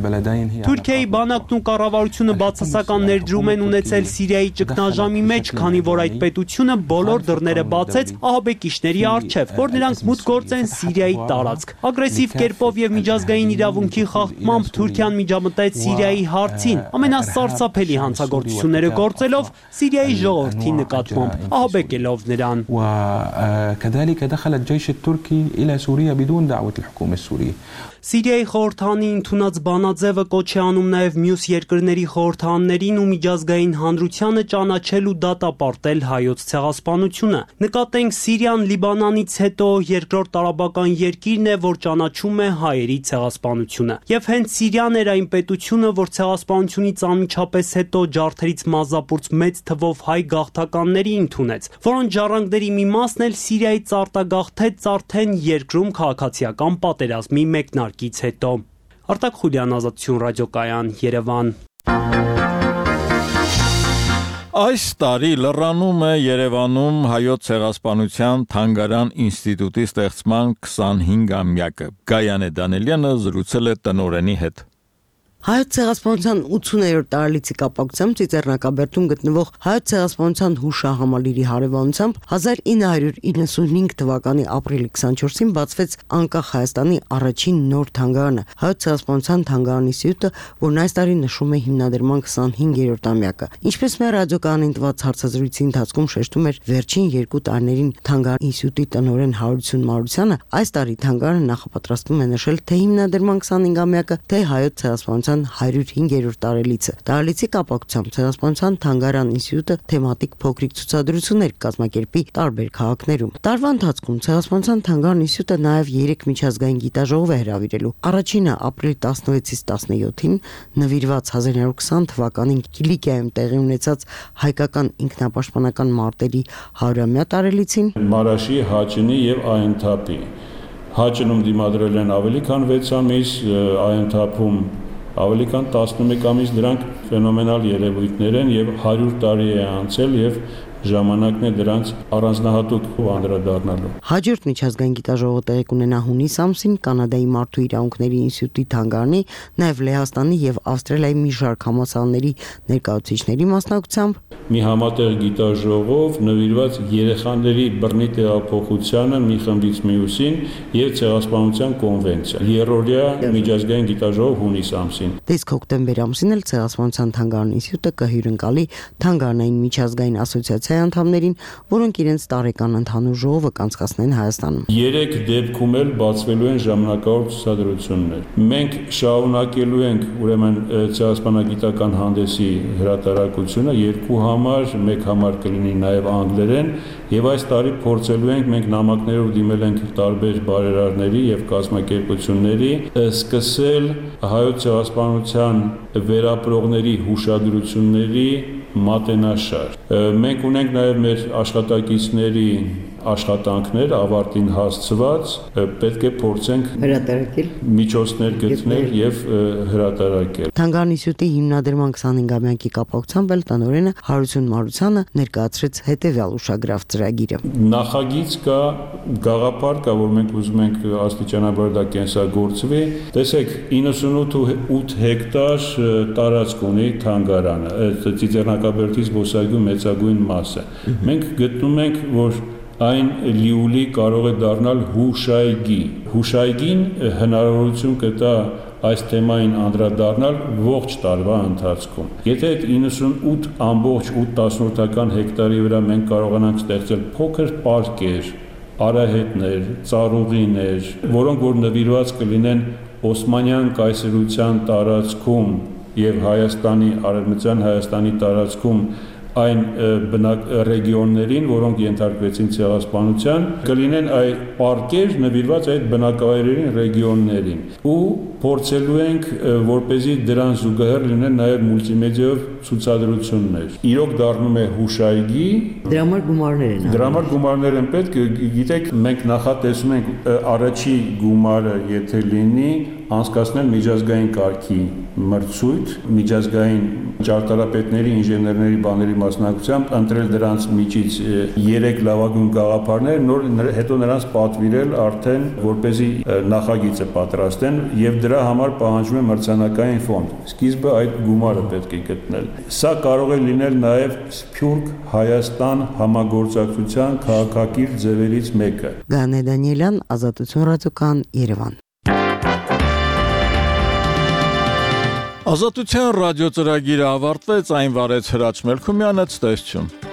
Թուրքիայի բանակն ու կառավարությունը բացասական ներդրում են ունեցել Սիրիայի ճգնաժամի մեջ, քանի որ այդ պետությունը բոլոր դռները բացեց ահաբեկիչների առջև, որ նրանք մուտք գործեն Սիրիայի տարածք։ Ագրեսիվ կերպով եւ միջազգային իրավունքի խախտմամբ Թուրքիան միջամտեց Սիրիայի հարցին, ամենասարսափելի հանցագործությունները գործելով Սիրիայի ժողովրդի նկատմամբ, ահաբեկելով նրան։ Սիրիայի խորհրդանի ընդունած բանաձևը կոչ է անում նաև մյուս երկրների խորհրդաններին ու միջազգային հանրությանը ճանաչել ու դատապարտել հայոց ցեղասպանությունը։ Նկատենք Սիրիան Լիբանանից հետո երկրորդ տարաբական երկիրն է, որ ճանաչում է հայերի ցեղասպանությունը։ Եվ հենց Սիրիան էր այն պետությունը, որ ցեղասպանությունից անմիջապես հետո ջարդերից մազապուրց մեծ թվով հայ գաղթականների ընդունեց, որոնց ժառանգների մի մասն էլ Սիրիայից արտագաղթեց արդեն երկրում քաղաքացիական պատերազմի մեկնարկից հետո։ Արտակ Խուլյան, Ազատություն ռադիոկայան, Երևան։ Այս տարի լրանում է Երևանում հայոց ցեղասպանության թանգարան ինստիտուտի ստեղծման քսանհինգամյակը։ Գայանե Դանելյանը զրուցել է տնօրենի հետ։ Հայոց ցեղասպանության ութսուներորդ տարելիցի կապակցությամբ Ծիծեռնակաբերդում գտնվող հայոց ցեղասպանության հուշահամալիրի հարևանությամբ հազար ինը հարյուր իննսունհինգ թվականի ապրիլի քսանչորսին բացվեց անկախ Հայաստանի առաջին նոր թանգարանը, հայոց ցեղասպանության թանգարանի ինստիտուտը, որն այս տարի նշում է հիմնադրման քսանհինգերորդ ամյակը։ Ինչպես մեր ռադիոկայանին տված հարցազրույցի ընթացքում շեշտում էր վերջին երկու տարիներին թանգարանի ինստիտուտի տնօրեն Հարություն Մարությանը, այս տարի թանգարանը նախապատրաստվում է նշել թե հիմնադրման քսանհինգամյակը, թե հայոց ցեղասպանության հարյուր հինգերորդ տարելիցը։ Տարելիցի կապակցությամբ ցեղասպանության թանգարան ինստիտուտը թեմատիկ փոքրիկ ցուցադրություններ կազմակերպի տարբեր քաղաքներում։ Տարվա ընթացքում ցեղասպանության թանգարան ինստիտուտը նաև երեք միջազգային գիտաժողով է հրավիրելու։ Առաջինը ապրիլի տասնվեցից տասնյոթին նվիրված հազար ինը հարյուր քսան թվականին Կիլիկիայում տեղի ունեցած հայկական ինքնապաշտպանական մարտերի հարյուրամյա տարելիցին, Մարաշի, Հաչինի եւ Այընթապի։ Հաչինում դիմադրել են ավելի քան վեց ամիս, Այընթապում ավելի քան տասնմեկ ամիս, դրանք ֆենոմենալ երևույթներ են եւ հարյուր տարի է անցել եւ ժամանակն է դրանց առանձնահատուկ անդրադառնալու։ Հաջորդ միջազգային գիտաժողովը տեղի կունենա հունիս ամսին Կանադայի մարդու իրավունքների ինստիտուտի թանգարանի, նաև Լեհաստանի եւ Ավստրալիայի մի շարք համալսարանների ներկայացուցիչների մասնակցությամբ մի համատեղ գիտաժողով նվիրված երեխաների բռնի տեղափոխությանը մի խմբից մյուսին եւ ցեղասպանության կոնվենցիա։ Երրորդյա միջազգային գիտաժողով հունիս ամսին։ Իսկ հոկտեմբեր ամսին էլ ցեղասպանության թանգարանի ինստիտուտը կհյուրընկալի թանգարանային միջազգային ասոցիացիայի անդամներին, որոնք իրենց տարեկան ընդհանուր ժողովը կանցկացնեն Հայաստանում։ Երեք դեպքում էլ բացվելու են ժամանակավոր ցուցադրություններ։ Մենք շարունակելու ենք ուրեմն ցեղասպանագիտական հանդեսի հրատարակությունը երկու համար, մեկ համար կլինի նաև անգլերեն, եւ այս տարի փորձելու ենք մենք նամակներով դիմել ենք տարբեր բարերարների եւ կազմակերպությունների սկսել հայոց ցեղասպանության վերապրողների հուշագրությունների մատենաշար։ Մենք ունենք նաև մեր աշխատակիցների աշխատանքներ ավարտին հասցված պետք է փորձենք հրատարակել, միջոցներ գտնել եւ հրատարակել։ Թանգարանիսյութի հիմնադրման քսանհինգամյակի կապակցությամբ էլ տնօրենը Հարություն Մարությանը ներկայացրեց հետեւյալ ուշագրավ ծրագիրը։ Նախագիծ կա, գաղափար կա, որ մենք ուզում ենք աստիճանաբար դա կենսագործվի։ Տեսեք, իննսունութ հեկտար տարածք ունի թանգարանը, Ծիծեռնակաբերդի զբոսայգու մեծագույն մասը։ Մենք գտնում ենք, որ այն լիուլի կարող է դառնալ հուշայգի։ Հուշայգին հնարավորություն կտա այս թեմային անդրադառնալ ողջ տարվա ընթացքում։ Եթե այդ իննսունութ ամբողջ ութ տասնորդական հեկտարի վրա մենք կարողանանք ստեղծել փոքր պարկեր, արահետներ, ծառուղիներ, որոնք որ նվիրված կլինեն Օսմանյան կայսրության տարածքում եւ Հայաստանի արևմտյան Հայաստանի տարածքում այն բնակ ռեգիոններին, որոնք ենթարկվեցին ցեղասպանության, կլինեն այ պարկեր նվիրված այդ բնակավայրերին, ռեգիոններին։ Ու փորձելու ենք, որպեսզի դրան զուգահեռ լինեն նաև մուլտիմեդիայով ցուցադրություններ։ Իրոք դառնում է հուշայգի, դրա համար գումարներ են։ Դրա համար գումարներ են պետք, գիտեք, մենք նախատեսում ենք առաջի գումարը, եթե լինի, անցկացնել միջազգային կարգի մրցույթ, միջազգային ճարտարապետների, ինժեներների բաների մասնակցությամբ ընտրել դրանց միջից երեք լավագույն գաղափարներ, նոր հետո նրանց պատվիրել արդեն, որպեսզի նախագիծը պատրաստեն եւ դրա համար պահանջվում է մրցանակային ֆոնդ։ Սկիզբը այդ գումարը պետք է գտնել։ Սա կարող է լինել նաեւ Սփյուռք Հայաստան համագործակցության քաղաքակիրթ ձևերից մեկը։ Գանե Դանիելյան, Ազատություն ռադիոկան, Երևան։ Ազատության ռադիո ծրագիրը ավարտվեց, այն վարեց Հրաչ Մելքումյանը, ցտեսություն։